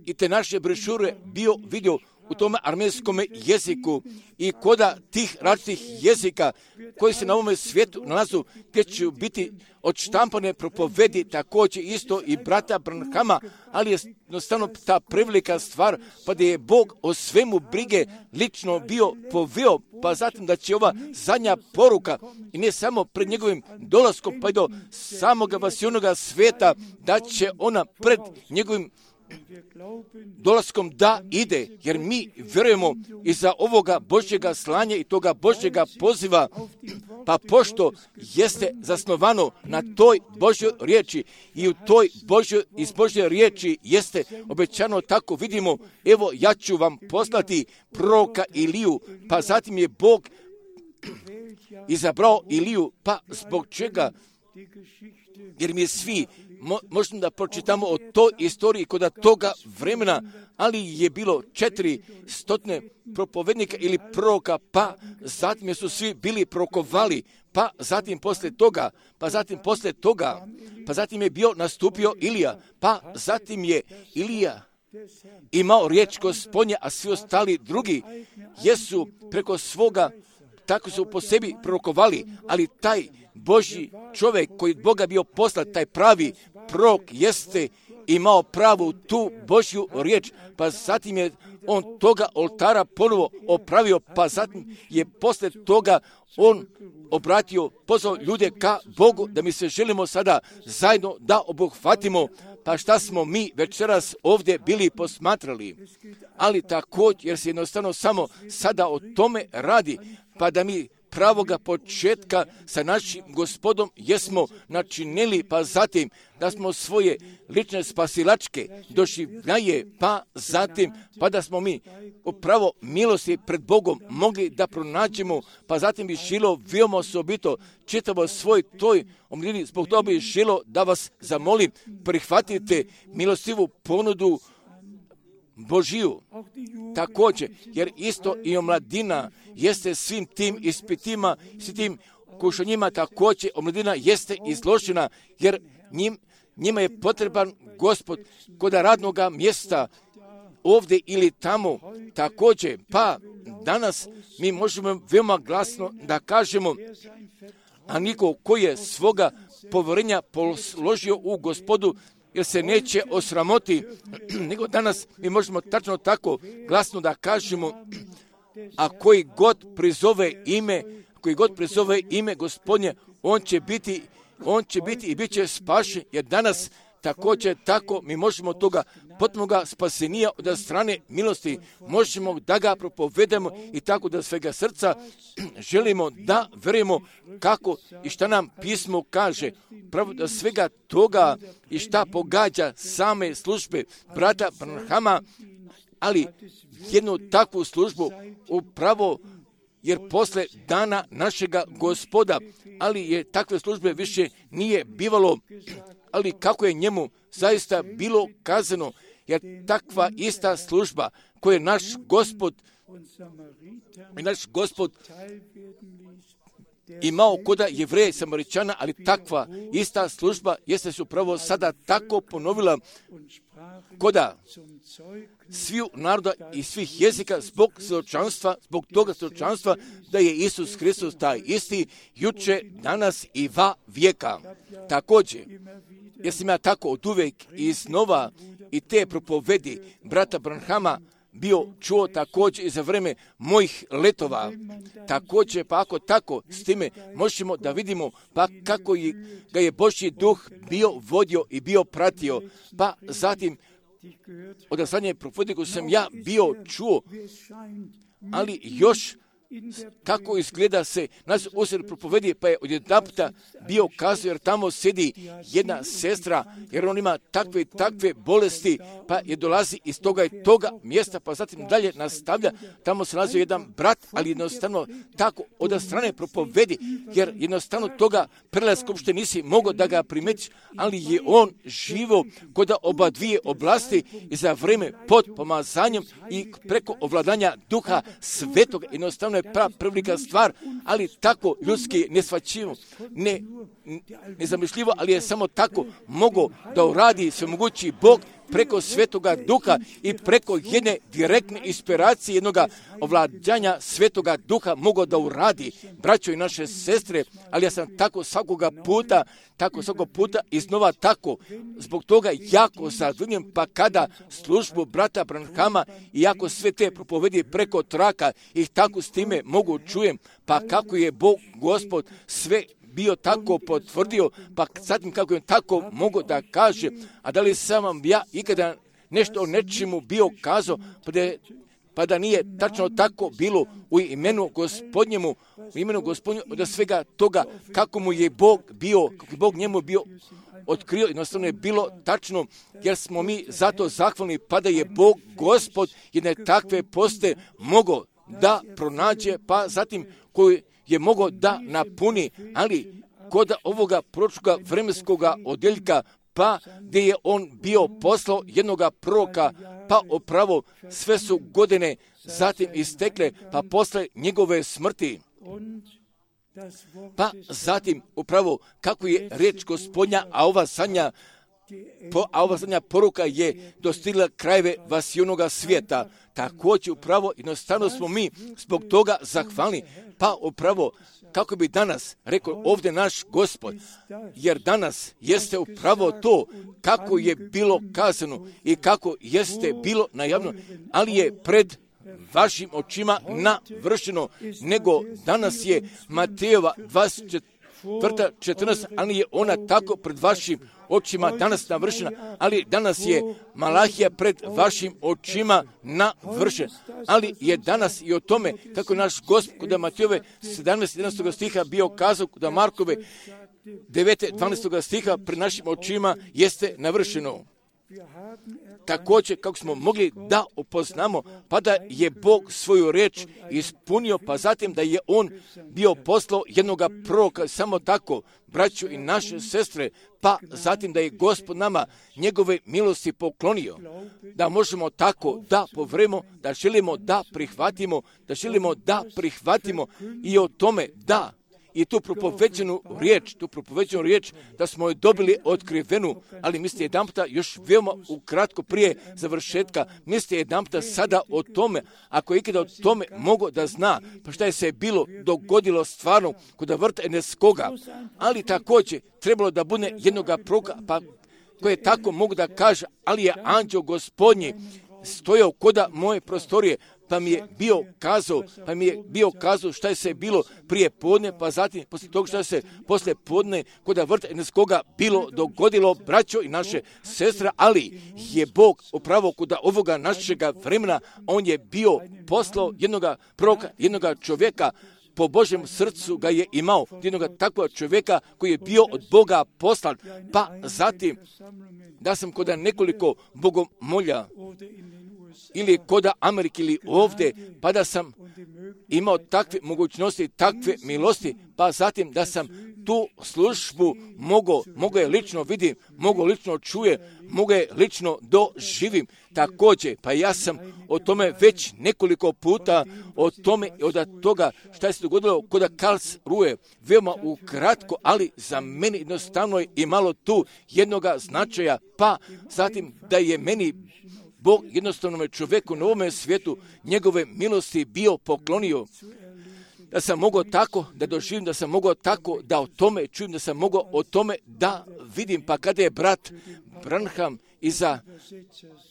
i te naše brošure bio vidio u tom armejskom jeziku i koda tih različitih jezika koji se na ovome svijetu nalazu, gdje će biti odštampane propovedi također isto i brata Branhama, ali je jednostavno ta prevelika stvar, pa da je Bog o svemu brige lično bio poveo, pa zatim da će ova zadnja poruka i ne samo pred njegovim dolaskom, pa i do samoga vasionoga svijeta, da će ona pred njegovim dolaskom da ide, jer mi vjerujemo iza ovoga Božjega slanja i toga Božjega poziva, pa pošto jeste zasnovano na toj Božjoj riječi i u toj Božjoj, iz Božje riječi jeste obećano, tako vidimo, evo ja ću vam poslati proroka Iliju, pa zatim je Bog izabrao Iliju, pa zbog čega? Jer mi svi mo, možemo da pročitamo o toj istoriji kod toga vremena, ali je bilo četiri stotine propovednika ili proroka, pa zatim su svi bili prorokovali, pa zatim poslije toga, pa zatim poslije toga, pa zatim je bio nastupio Ilija, pa zatim je Ilija imao riječ Gospodnje, a svi ostali drugi jesu preko svoga, tako su po sebi prorokovali, ali taj Božji čovjek koji od Boga bio poslat, taj pravi prorok jeste imao pravu tu Božju riječ, pa zatim je on toga oltara ponovo opravio, pa zatim je poslije toga on obratio, pozvao ljude ka Bogu, da mi se želimo sada zajedno da obuhvatimo, pa šta smo mi večeras ovdje bili posmatrali. Ali također, jer se jednostavno samo sada o tome radi, pa da mi pravoga početka sa našim Gospodom jesmo načinili, pa zatim da smo svoje lične spasilačke doživljaje, pa zatim pa da smo mi upravo milosti pred Bogom mogli da pronađemo, pa zatim bi želo veoma osobito čitavo svoj toj omljeni, zbog toga bi želo da vas zamolim, prihvatite milostivu ponudu Božiju. Također, jer isto i omladina jeste svim tim ispitima, svim tim kušanjima, također omladina jeste izložena, jer njim, njima je potreban Gospod kod radnoga mjesta, ovdje ili tamo. Također, pa danas mi možemo veoma glasno da kažemo, a niko koji je svoga povjerenja položio u Gospodu, jer se neće osramoti, nego danas mi možemo tačno tako glasno da kažemo, a koji god prizove ime, koji god prizove ime Gospodnje, on će biti, on će biti i bit će spašen, jer danas također tako mi možemo toga potpunoga spasenija od strane milosti, možemo da ga propovedemo i tako da svega srca želimo da verujemo kako i šta nam pismo kaže, pravo da svega toga i šta pogađa same službe brata Branhama, ali jednu takvu službu upravo jer posle dana našega Gospoda, ali je takve službe više nije bivalo, ali kako je njemu zaista bilo kazano, jer takva ista služba koju je naš Gospod i naš Gospod imao koda Jevreja i Samaričana, ali takva ista služba jeste se upravo sada tako ponovila koda sviju naroda i svih jezika zbog svjedočanstva, zbog toga svjedočanstva da je Isus Hristos taj isti juče, danas i va vijeka. Također, jer sam ja tako od uvijek i iznova i te propovedi brata Branhama bio čuo također i za vreme mojih letova. Također, pa ako tako s time možemo da vidimo pa kako je, ga je Božji duh bio vodio i bio pratio, pa zatim od zadnje propovedi koju sam ja bio čuo, ali još kako izgleda se nas usred propovedi, pa je odjedanputa bio kazao, jer tamo sedi jedna sestra, jer on ima takve takve bolesti, pa je dolazi iz toga i toga mjesta, pa zatim dalje nastavlja, tamo se nalazi jedan brat, ali jednostavno tako od strane propovedi, jer jednostavno toga prelaska uopšte nisi mogao da ga primetiš, ali je on živo kod oba dvije oblasti i za vreme pod pomazanjem i preko ovladanja Duha Svetoga, jednostavno je prava prevelika stvar, ali tako ljudski nesvačivo, ne, nezamišljivo, ali je samo tako mogao da uradi svemogući Bog preko Svetoga Duha i preko jedne direktne inspiracije jednog ovladanja Svetoga Duha mogao da uradi, braćo i naše sestre, ali ja sam tako svakoga puta, tako svakog puta iznova tako, zbog toga jako zadovoljen, pa kada službu brata Branhama i jako sve te propovedi preko traka i tako s time mogu čujem, pa kako je Bog Gospod sve bio tako potvrdio, pa zatim kako je tako mogo da kaže, a da li sam vam ja ikada nešto o nečemu bio kazao, pa da, pa da nije tačno tako bilo u imenu Gospodnjemu, u imenu Gospodnjemu, od svega toga kako mu je Bog bio, kako je Bog njemu bio otkrio, jednostavno je bilo tačno, jer smo mi zato zahvalni, pa da je Bog Gospod jedne takve poste mogao da pronađe, pa zatim koji je mogao da napuni, ali kod ovoga proročkoga vremenskoga odjeljka, pa gdje je on bio poslao jednoga proroka, pa upravo sve su godine zatim istekle, pa posle njegove smrti. Pa zatim upravo kako je riječ Gospodnja, a ova sanja, po, a ova zadnja poruka je dostigla krajeve vasionoga svijeta. Također upravo jednostavno smo mi zbog toga zahvalni, pa upravo kako bi danas rekao ovdje naš Gospod, jer danas jeste upravo to kako je bilo kazano i kako jeste bilo najavno, ali je pred vašim očima navršeno, nego danas je Matejova dvadeset četvrta četrnaest, ali je ona tako pred vašim očima danas navršena, ali danas je Malahija pred vašim očima navršena, ali je danas i o tome kako naš Gospod kod Matejove sedamnaest jedanaest stiha bio kazao, kod Markove devet dvanaest stiha pred našim očima jeste navršeno. Također kako smo mogli da upoznamo, pa da je Bog svoju riječ ispunio, pa zatim da je on bio poslao jednoga proroka, samo tako, braću i naše sestre, pa zatim da je Gospod nama njegove milosti poklonio, da možemo tako da povremo, da želimo da prihvatimo, da želimo da prihvatimo i o tome da i tu propoveđenu riječ, tu propoveđenu riječ da smo je dobili otkrivenu, ali mislite jedanputa još veoma ukratko prije završetka, mislite jedanputa sada o tome, ako je ikada o tome mogo da zna, pa šta je se bilo dogodilo stvarno kod vrta Eneskoga, ali također trebalo da bude jednoga proroka, pa koje tako mogu da kaže, ali je anđeo Gospodnji stojao koda moje prostorije, pa mi je bio kazao, pa mi je bio kazao šta je se bilo prije podne, pa zatim poslije toga šta je se poslije podne kod vrta Eneskoga bilo dogodilo, braćo i naše sestre, ali je Bog upravo kod ovoga našega vremena, on je bio poslao jednoga proroka, jednoga čovjeka, po Božjem srcu ga je imao, jednoga takvog čovjeka koji je bio od Boga poslan, pa zatim da sam kod nekoliko bogomolja ili kod Amerike ili ovdje, pa da sam imao takve mogućnosti, takve milosti, pa zatim da sam tu službu mogao, mogao je lično vidim, mogao lično čuje, mogao je lično doživim. Također, pa ja sam o tome već nekoliko puta, o tome i od toga šta je se dogodilo kod Karlsruhe, veoma ukratko, ali za mene jednostavno je imalo tu jednoga značaja, pa zatim da je meni Bog jednostavno čovjeku na ovome svijetu njegove milosti bio poklonio, da sam mogao tako da doživim, da sam mogao tako da o tome čujem, da sam mogao o tome da vidim. Pa kada je brat Branham iza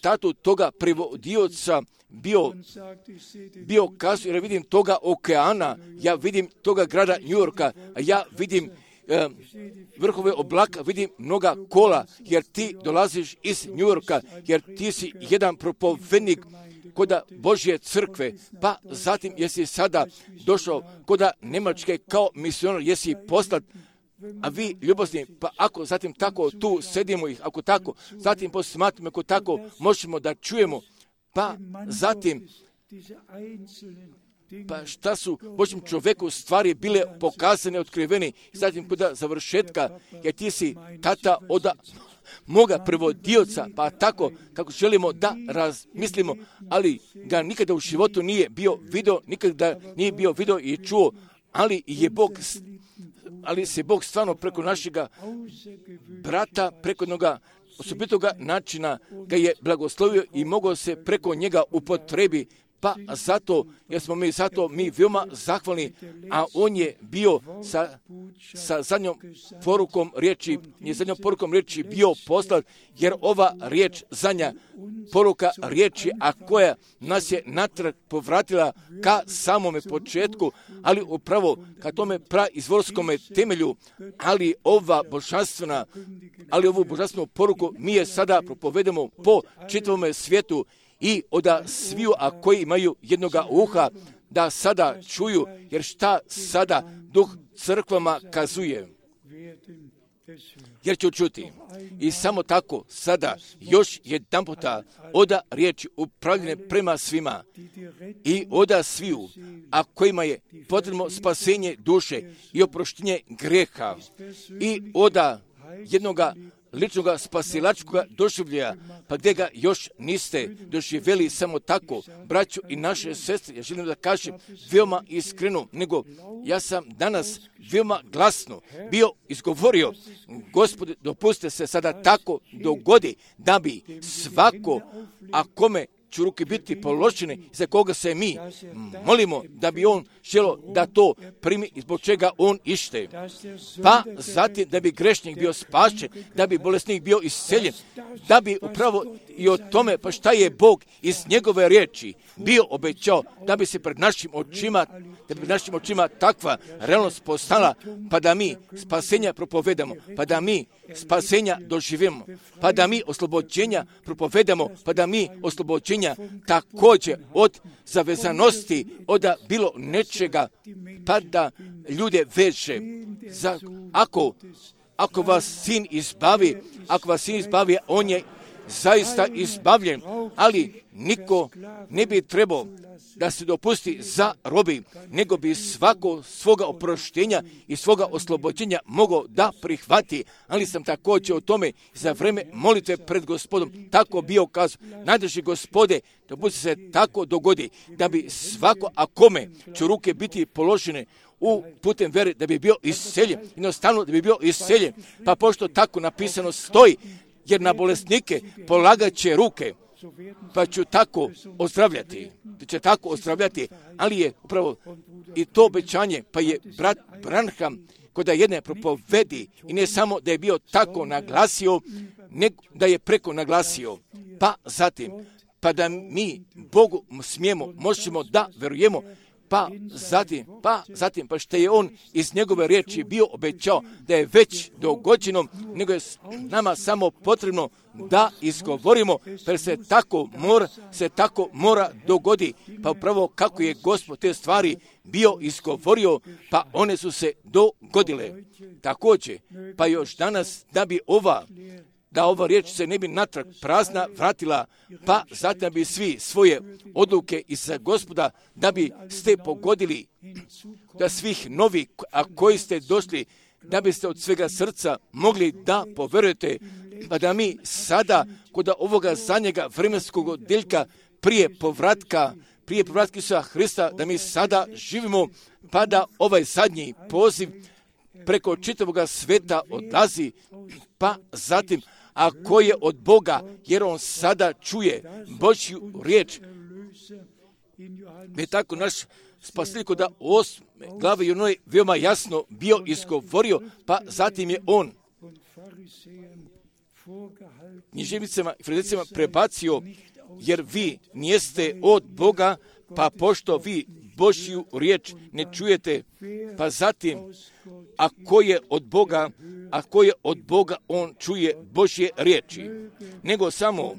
tatu toga prevodioca bio, bio kazao, jer vidim toga okeana, ja vidim toga grada New Yorka, a ja vidim e, vrhove oblaka, vidim mnoga kola, jer ti dolaziš iz New Yorka, jer ti si jedan propovednik koda Božje crkve, pa zatim jesi sada došao koda Njemačke kao misionar, jesi poslat, a vi ljubazni, pa ako zatim tako tu sedimo ih, ako tako, zatim posmatramo, ako tako možemo da čujemo, pa zatim, pa šta su Božjem čovjeku stvari bile pokazane, otkriveni, zatim kod završetka, jer ti si tata od moga prevodioca, pa tako kako želimo da razmislimo, ali ga nikada u životu nije bio video, nikada nije bio video i čuo, ali je Bog, ali se Bog stvarno preko našega brata, preko jednoga osobitoga načina ga je blagoslovio i mogao se preko njega upotrebi. Pa zato, jer smo mi zato mi veoma zahvalni, a on je bio sa, sa zadnjom porukom riječi, je zadnjom porukom riječi bio poslat, jer ova riječ, zadnja poruka riječi, a koja nas je natrag povratila ka samome početku, ali upravo ka tome praizvorskome temelju, ali ova božanstvena, ali ovu božanstvenu poruku mi je sada propovedemo po čitavome svijetu, i oda sviju, a koji imaju jednoga uha, da sada čuju, jer šta sada duh crkvama kazuje, jer ću čuti. I samo tako sada još jedan puta oda riječi upravljene prema svima i oda sviju, a kojima je potrebno spasenje duše i oproštenje greha i oda jednoga ličnoga spasilačkoga doživljaja, pa gdje ga još niste doživjeli samo tako, braću i naše sestre, ja želim da kažem veoma iskreno, nego ja sam danas veoma glasno bio izgovorio, Gospode, dopustite se sada tako dogodi, da bi svako, a kome će ruke biti položene, za koga se mi molimo, da bi on želo da to primi i zbog čega on ište. Pa zatim da bi grešnik bio spašen, da bi bolesnik bio isceljen, da bi upravo i o tome, pa šta je Bog iz njegove riječi bio obećao, da bi se pred našim očima, da bi pred našim očima takva realnost postala, pa da mi spasenja propovedamo, pa da mi spasenja doživimo, pa da mi oslobođenja propovedamo, pa da mi oslobođenja također od zavezanosti, od bilo nečega, pa da ljude veže. Za, ako, ako vas sin izbavi, ako vas sin izbavi, on je zaista izbavljen, ali niko ne bi trebao da se dopusti za robi, nego bi svako svoga oproštenja i svoga oslobođenja mogao da prihvati. Ali sam također o tome za vreme molitve pred Gospodom tako bio kazao, najdrži Gospode, da bude se tako dogodi, da bi svako, a kome će ruke biti položene u putem vere, da bi bio isceljen, jednostavno da bi bio isceljen. Pa pošto tako napisano stoji, jer na bolesnike polagat će ruke, pa ću tako ozdravljati, će tako ozdravljati, ali je upravo i to obećanje, pa je brat Branham kod jedne propovedi, i ne samo da je bio tako naglasio, nego da je preko naglasio, pa zatim, pa da mi Bogu smijemo, možemo da verujemo, pa zatim, pa zatim, pa što je on iz njegove riječi bio obećao da je već dogođeno, nego je nama samo potrebno da izgovorimo, pa se tako mora, se tako mora dogodi, pa upravo kako je Gospod te stvari bio izgovorio, pa one su se dogodile. Također, pa još danas da bi ova da ova riječ se ne bi natrag prazna vratila, pa zatim bi svi svoje odluke iz Gospoda, da bi ste pogodili, da svih novih, a koji ste došli, da biste od svega srca mogli da poverujete, pa da mi sada, kod ovoga zadnjega vremenskog odjeljka, prije povratka, prije povratka Isusa Hrista, da mi sada živimo, pa da ovaj zadnji poziv preko čitavoga sveta odlazi, pa zatim, ako je od Boga, jer on sada čuje Božju riječ, je tako naš spasitelj da osme glave Jonoj veoma jasno bio izgovorio, pa zatim je on književnicima i farizejcima prebacio, jer vi nijeste od Boga, pa pošto vi Božju riječ ne čujete, pa zatim, ako je od Boga, ako je od Boga, on čuje Božje riječi, nego samo,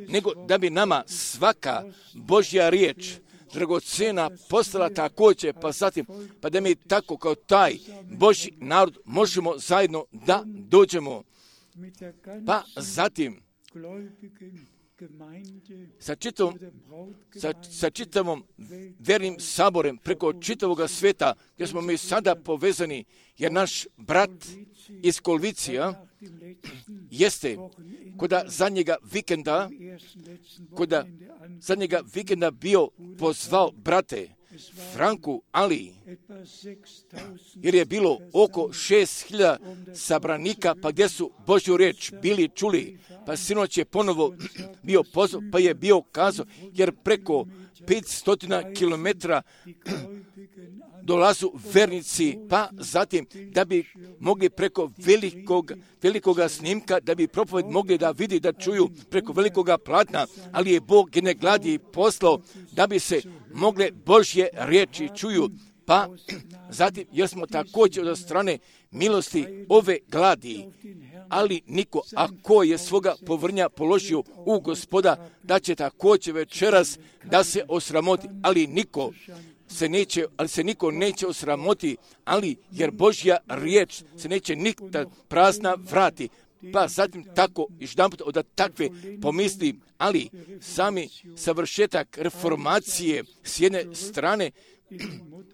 nego da bi nama svaka Božja riječ dragocena postala također, pa zatim, pa da mi tako kao taj Božji narod možemo zajedno da dođemo, pa zatim sa čitavom, sa, sa čitavom vernim saborem preko čitavog sveta, gdje smo mi sada povezani, jer naš brat iz Kolvicija jeste koda zadnjega vikenda, koda zadnjega vikenda bio pozvao brate Franku Ali, jer je bilo oko šest hiljada sabranika, pa gdje su Božju riječ bili čuli, pa sinoć je ponovo bio pozov, pa je bio kazao, jer preko petsto kilometara dolazu vernici, pa zatim da bi mogli preko velikog, velikoga snimka, da bi propoved mogli da vidi, da čuju preko velikoga platna, ali je Bog jedne gladi poslao da bi se mogle Božje riječi čuju, pa zatim jer smo također od strane milosti ove gladi, ali niko, ako je svoga povrnja položio u Gospoda, da će također večeras da se osramoti, ali niko se neće, ali se niko neće osramoti, ali jer Božja riječ se neće nikada prazna vrati. Pa zatim tako, još jedan put od takve pomisli, ali sami savršetak reformacije s jedne strane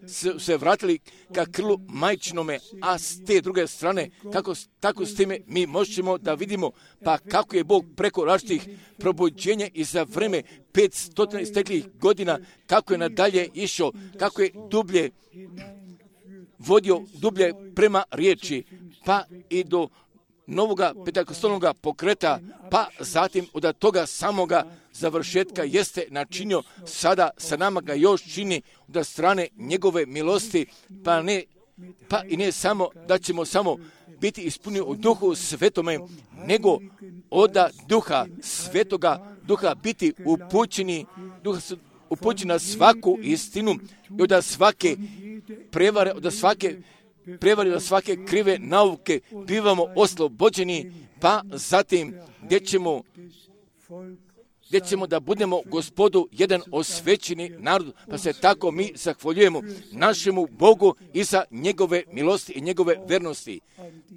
su se vratili ka krlu majčinome, a s te druge strane, kako, tako s time mi možemo da vidimo, pa kako je Bog preko različitih probuđenja i za vreme petsto steklih godina, kako je nadalje išao, kako je dublje vodio, dublje prema riječi, pa i do novoga pentakostalnoga pokreta, pa zatim od toga samoga završetka jeste načinio, sada sa nama ga još čini od strane njegove milosti, pa ne, pa i ne samo da ćemo samo biti ispunjeni u duhu svetome, nego od duha svetoga, duha biti upućeni, duha upućeni na svaku istinu i od svake prevare, od svake prevari, od svake krive nauke bivamo oslobođeni, pa zatim gdje ćemo, gdje ćemo da budemo Gospodu jedan osvećeni narod, pa se tako mi zahvaljujemo našemu Bogu i za njegove milosti i njegove vernosti.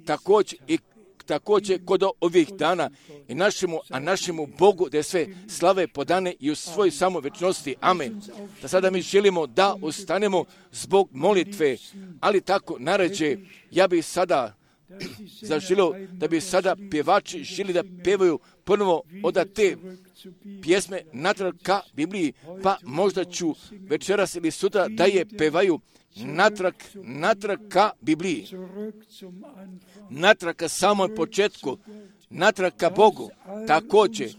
Također i također kod ovih dana i našemu, a našemu Bogu da je sve slave podane i u svojoj samovečnosti. Amen. Da sada mi želimo da ustanemo zbog molitve, ali tako naređe, ja bih sada zaželio da bi sada pjevači želi da pevaju ponovo od te pjesme natrag ka Bibliji, pa možda ću večeras ili sutra da je pevaju natrag, natrag ka Bibliji, natrag ka samom početku, natrag ka Bogu, također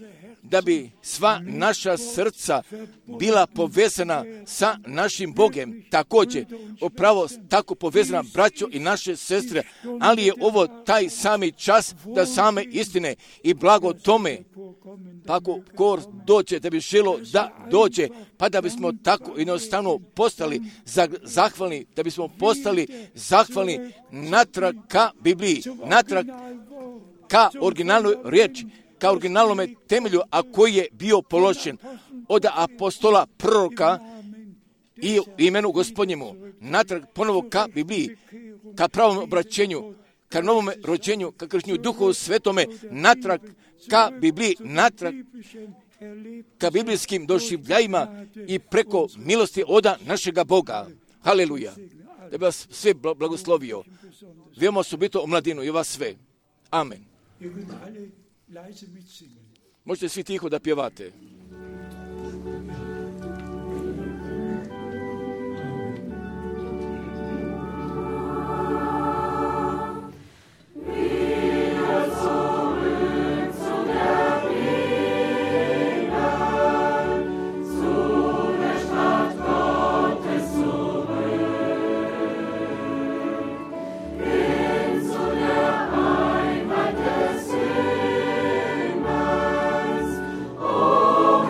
da bi sva naša srca bila povezana sa našim Bogem, također upravo tako povezana braćo i naše sestre, ali je ovo taj sami čas da same istine i blago tome, pa ako ko dođe da bi želo da dođe, pa da bismo tako jednostavno postali zahvalni, da bismo postali zahvalni natrag ka Bibliji, natrag ka originalnoj riječi, ka originalnome temelju, a koji je bio položen od apostola, proroka i imenu Gospodnjemu, natrag ponovo ka Bibliji, ka pravom obraćenju, ka novome rođenju, ka kršnju Duhu Svetome, natrag ka Bibliji, natrag ka biblijskim doživljajima i preko milosti oda našega Boga. Haleluja. Da bi vas sve blagoslovio. Veoma osobito omladinu i vas sve. Amen. Možete svi tiho da pjevate. Oh,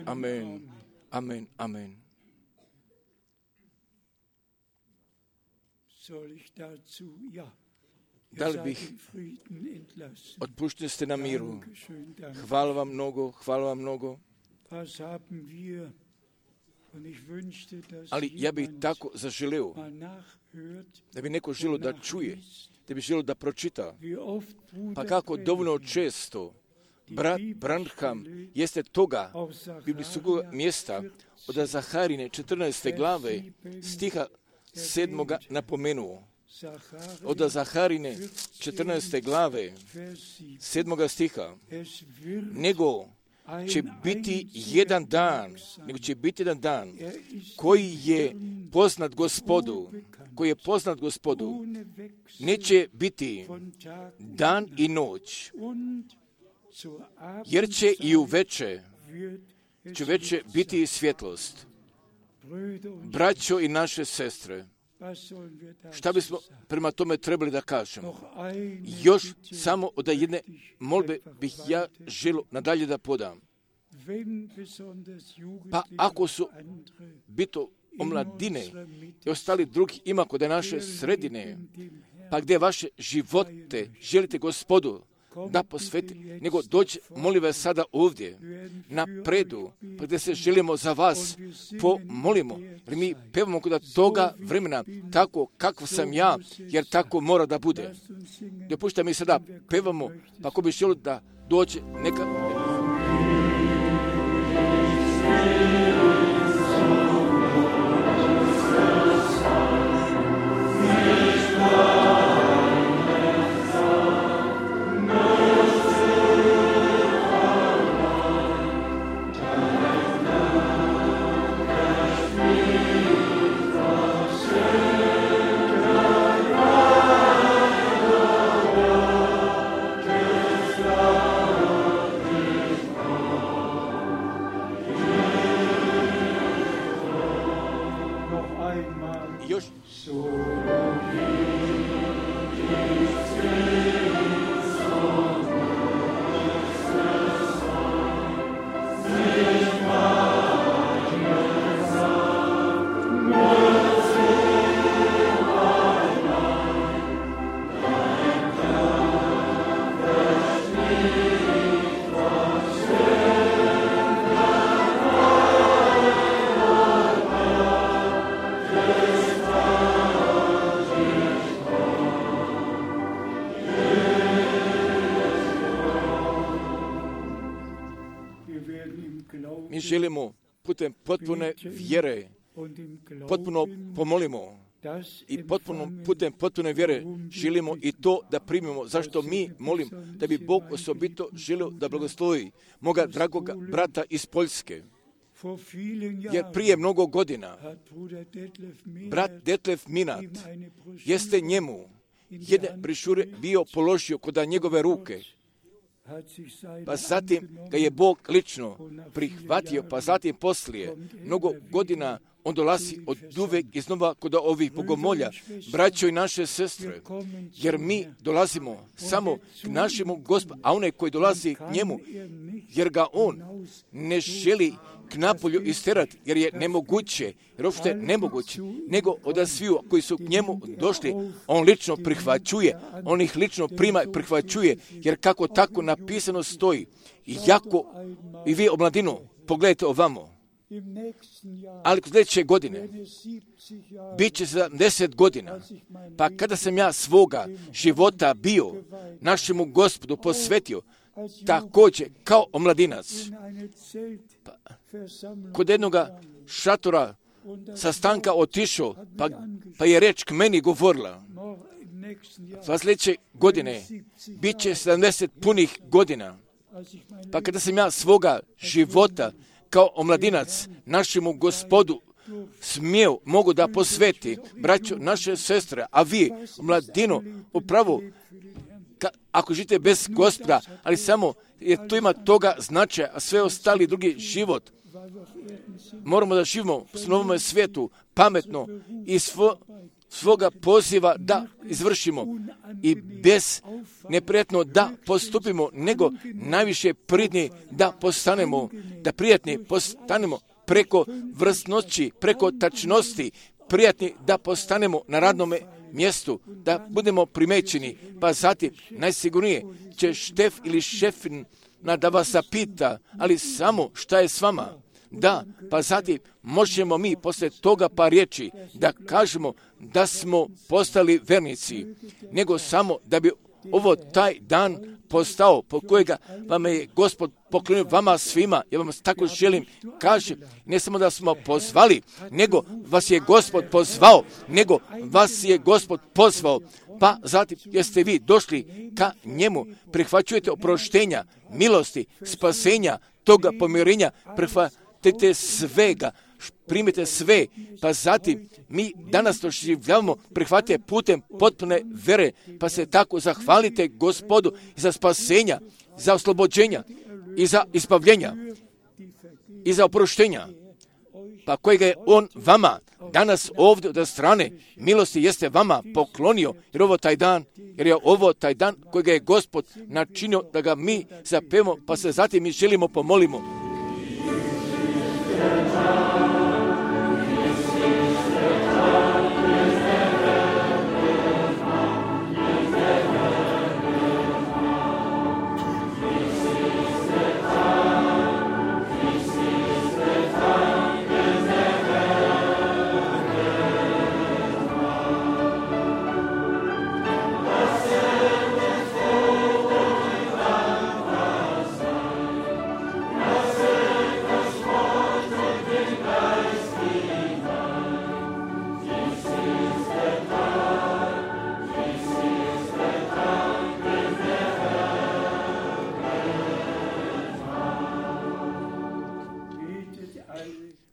Amen. Amen. Amen. Da li bih, otpušteni ste na miru. Hvala vam mnogo, hvala vam mnogo. Ali ja bih tako zaželeo, da bi neko želio da čuje, da bi želio da pročita. Pa kako dovoljno često brat Branham jeste toga biblijskog mjesta od Zaharine četrnaeste glave stiha sedmoga napomenuo. Od Zaharine četrnaeste glave sedmoga stiha, nego će biti jedan dan, nego će biti jedan dan koji je poznat Gospodu, koji je poznat Gospodu, neće biti dan i noć, jer će i u veče, će veče biti i svjetlost. Braćo i naše sestre, šta bismo prema tome trebali da kažemo? Još samo od jedne molbe bih ja želio nadalje da podam. Pa ako su bito omladine i ostali drugi ima kod naše sredine, pa gdje vaše živote želite Gospodu da posveti, nego dođe, molim vas sada ovdje, na predu, pa gdje se želimo za vas pomolimo, jer mi pevamo kod toga vremena, tako kako sam ja, jer tako mora da bude. Dopušta mi sada pevamo, pa ako bi želio da dođe neka... Mi želimo putem potpune vjere, potpuno pomolimo i potpuno, putem potpune vjere želimo i to da primimo. Zašto mi molim da bi Bog osobito želio da blagoslovi moga dragoga brata iz Poljske. Jer prije mnogo godina brat Detlef Minat jeste njemu jedne brišure bio položio kod njegove ruke. Pa zatim ga je Bog lično prihvatio, pa zatim poslije mnogo godina on dolazi od uvek iznova kod ovih bogomolja, braćo i naše sestre, jer mi dolazimo samo k našemu Gospodu, a onaj koji dolazi k njemu, jer ga on ne želi k napolju isterati, jer je nemoguće, jer uopšte nemoguće, nego od sviju koji su k njemu došli, on lično prihvaćuje, on ih lično prima i prihvaćuje, jer kako tako napisano stoji, i jako, i vi omladinu, pogledajte ovamo, ali sljedeće godine bit će sedamdeset godina, pa kada sam ja svoga života bio našemu Gospodu posvetio, također kao omladinac, pa, kod jednoga šatora sastanka otišao, pa, pa je reč k meni govorila, pa sljedeće godine bit će sedamdeset punih godina, pa kada sam ja svoga života kao omladinac našemu Gospodu smio, mogu da posveti, braćo, naše sestre, a vi, mladino, upravo, ka, ako živite bez Gospoda, ali samo, jer to ima toga značaja, a sve ostali drugi život, moramo da živimo u novome svijetu, pametno i svo, svoga poziva da izvršimo i bez neprijatno da postupimo, nego najviše pridni da postanemo, da prijatni postanemo preko vrsnoći, preko tačnosti, prijatni da postanemo na radnom mjestu, da budemo primećeni, pa zatim najsigurnije će štef ili šefin da vas zapita, ali samo šta je s vama. Da, pa zatim možemo mi posle toga pa riječi da kažemo da smo postali vernici, nego samo da bi ovo taj dan postao po kojega vam je Gospod poklonio vama svima. Ja vam tako želim kažem, ne samo da smo pozvali, nego vas je Gospod pozvao, nego vas je Gospod pozvao, pa zatim jeste vi došli ka njemu, prihvaćujete oproštenja, milosti, spasenja, toga pomirenja, prihvatite svega, primite sve, pa zatim mi danas doživljavamo prihvatite putem potpune vere, pa se tako zahvalite Gospodu za spasenja, za oslobođenja i za izbavljenja i za oproštenja, pa kojega je On vama danas ovdje od strane milosti jeste vama poklonio, jer ovo taj dan, jer je ovo taj dan kojega je Gospod načinio da ga mi zapevamo, pa se zatim mi želimo pomolimo.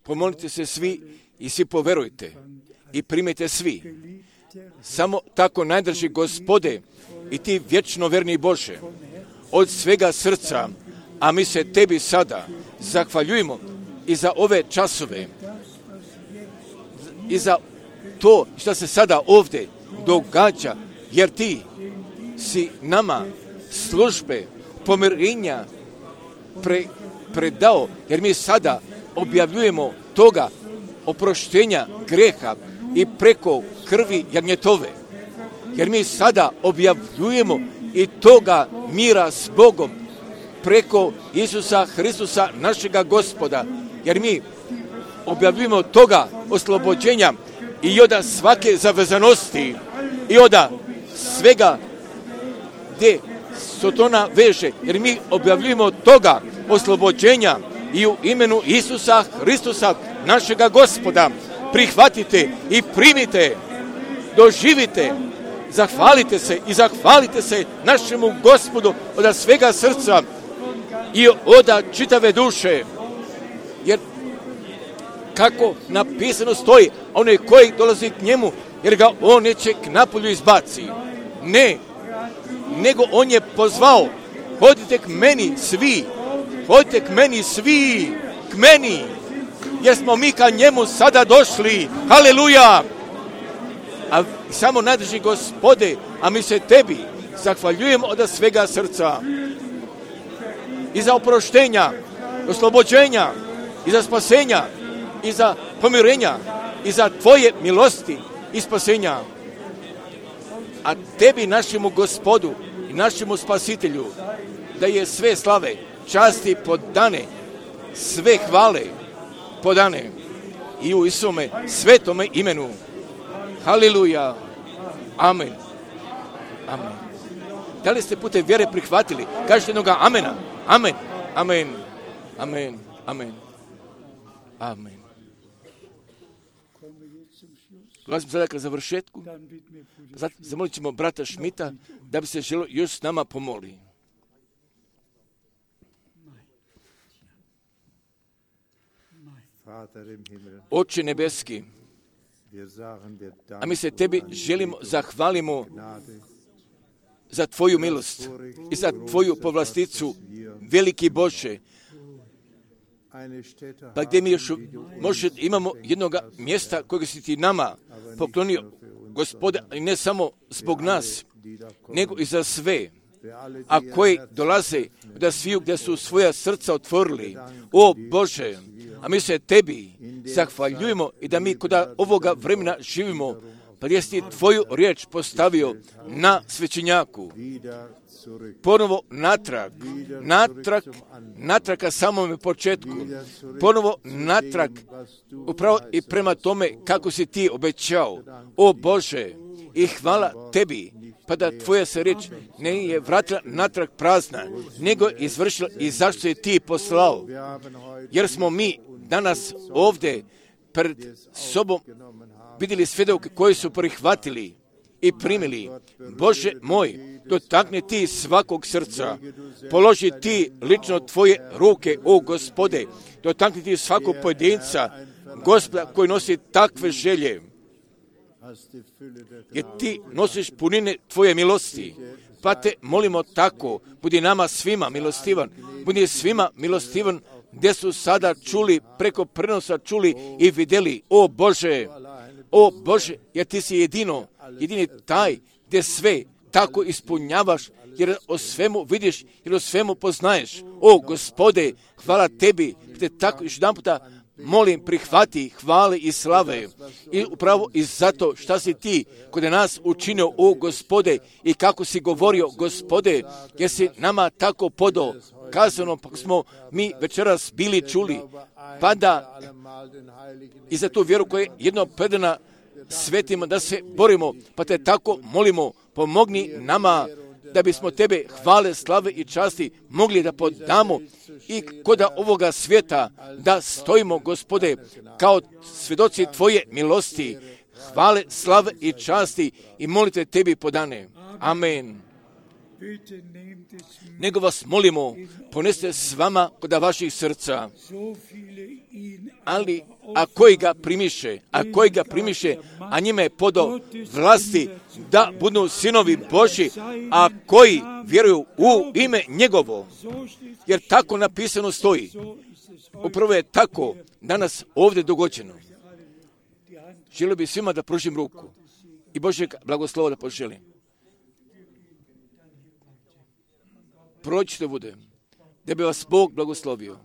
Pomolite se svi i svi poverujte i primite svi. Samo tako najdrži Gospode i ti vječno verni Bože, od svega srca, a mi se tebi sada zahvaljujemo i za ove časove i za to što se sada ovdje događa, jer ti si nama službe pomirenja pre, predao, jer mi sada objavljujemo toga oproštenja greha i preko krvi jagnjetove. Jer mi sada objavljujemo i toga mira s Bogom preko Isusa Hristusa našega Gospoda. Jer mi objavljujemo toga oslobođenja i od svake zavezanosti i od svega gdje Sotona veže. Jer mi objavljujemo toga oslobođenja i u imenu Isusa Hristusa, našega Gospoda, prihvatite i primite, doživite, zahvalite se i zahvalite se našemu Gospodu od svega srca i od čitave duše. Jer kako napisano stoji, onaj koji dolazi k njemu, jer ga on neće k napolju izbaci. Ne, nego on je pozvao, hodite k meni svi, hodite k meni svi, k meni, jer smo mi ka njemu sada došli. Haleluja! A samo nadrži Gospode, a mi se tebi zahvaljujemo od svega srca. I za oproštenja, oslobođenja, i za spasenja, i za pomirenja, i za tvoje milosti i spasenja. A tebi, našemu Gospodu i našemu Spasitelju, da je sve slave, časti podane, sve hvale podane i u Isome svetome imenu. Haleluja. Amen. Amen. Da li ste putem vjere prihvatili? Kažete jednoga amena. Amen. Amen. Amen. Amen. Amen. Dolazimo sada ka završetku. Zatim zamolit ćemo brata Šmita da bi se želio još s nama pomoli. Oče nebeski, a mi se tebi želimo, zahvalimo za tvoju milost i za tvoju povlasticu, veliki Bože. Pa gdje mi još možda imamo jednog mjesta kojeg si ti nama poklonio, Gospode, i ne samo zbog nas, nego i za sve, a koji dolaze da sviju gdje su svoja srca otvorili. O Bože, a mi se Tebi zahvaljujemo i da mi kod ovoga vremena živimo, pa jesi Tvoju riječ postavio na svećenjaku. Ponovo natrag, natrag, natrag ka samome početku, ponovo natrag, upravo i prema tome kako si Ti obećao. O Bože, i hvala Tebi, pa da Tvoja se riječ ne je vratila natrag prazna, nego je izvršila i zašto je Ti poslao. Jer smo mi danas ovdje pred sobom vidjeli svjedoke koji su prihvatili i primili. Bože moj, dotakni Ti svakog srca, položi Ti lično Tvoje ruke, o Gospode, dotakni Ti svakog pojedinca, Gospoda, koji nosi takve želje, jer Ti nosiš punine Tvoje milosti, pa Te molimo tako, budi nama svima milostivan, budi svima milostivan, gdje su sada čuli, preko prenosa čuli i vidjeli, o Bože, o Bože, jer Ti si jedino, jedini taj gdje sve tako ispunjavaš, jer o svemu vidiš, jer o svemu poznaješ. O Gospode, hvala Tebi, te tako još jedan puta molim, prihvati hvale i slave. I upravo i zato šta si Ti kod nas učinio, o Gospode, i kako si govorio, Gospode, jer si nama tako podao, kazano, pa smo mi večeras bili čuli, pa da i za tu vjeru koja je jedno predana svetima da se borimo, pa Te tako molimo, pomogni nama da bismo Tebe hvale, slave i časti mogli da podamo i kod ovoga svijeta da stojimo, Gospode, kao svjedoci Tvoje milosti, hvale, slave i časti i molite Tebi podane. Amen. Nego vas molimo, poneste s vama kod vaših srca, ali a koji ga primiše, a koji ga primiše, a njime je podao vlasti da budu sinovi Božji, a koji vjeruju u ime njegovo, jer tako napisano stoji. Upravo je tako danas ovdje dogođeno. Želio bi svima da pružim ruku i Božjeg blagoslova da poželim. Prođite bude, da bi vas Bog blagoslovio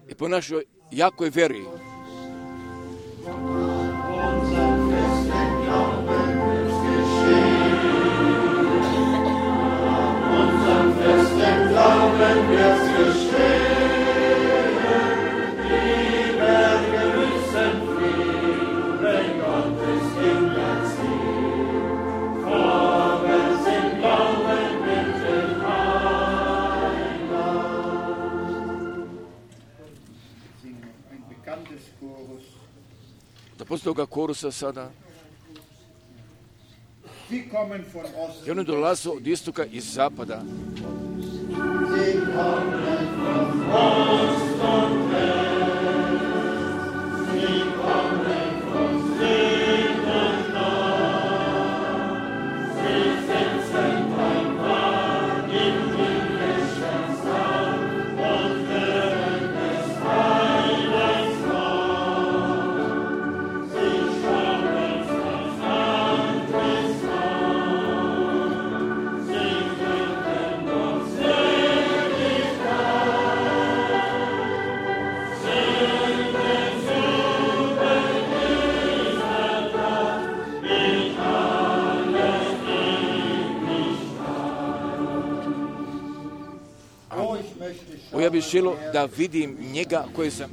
i po našoj jakoj veri. Da poslije toga korusa sada i oni dolaze od istoka i zapada. Ja bih želio da vidim njega koji sam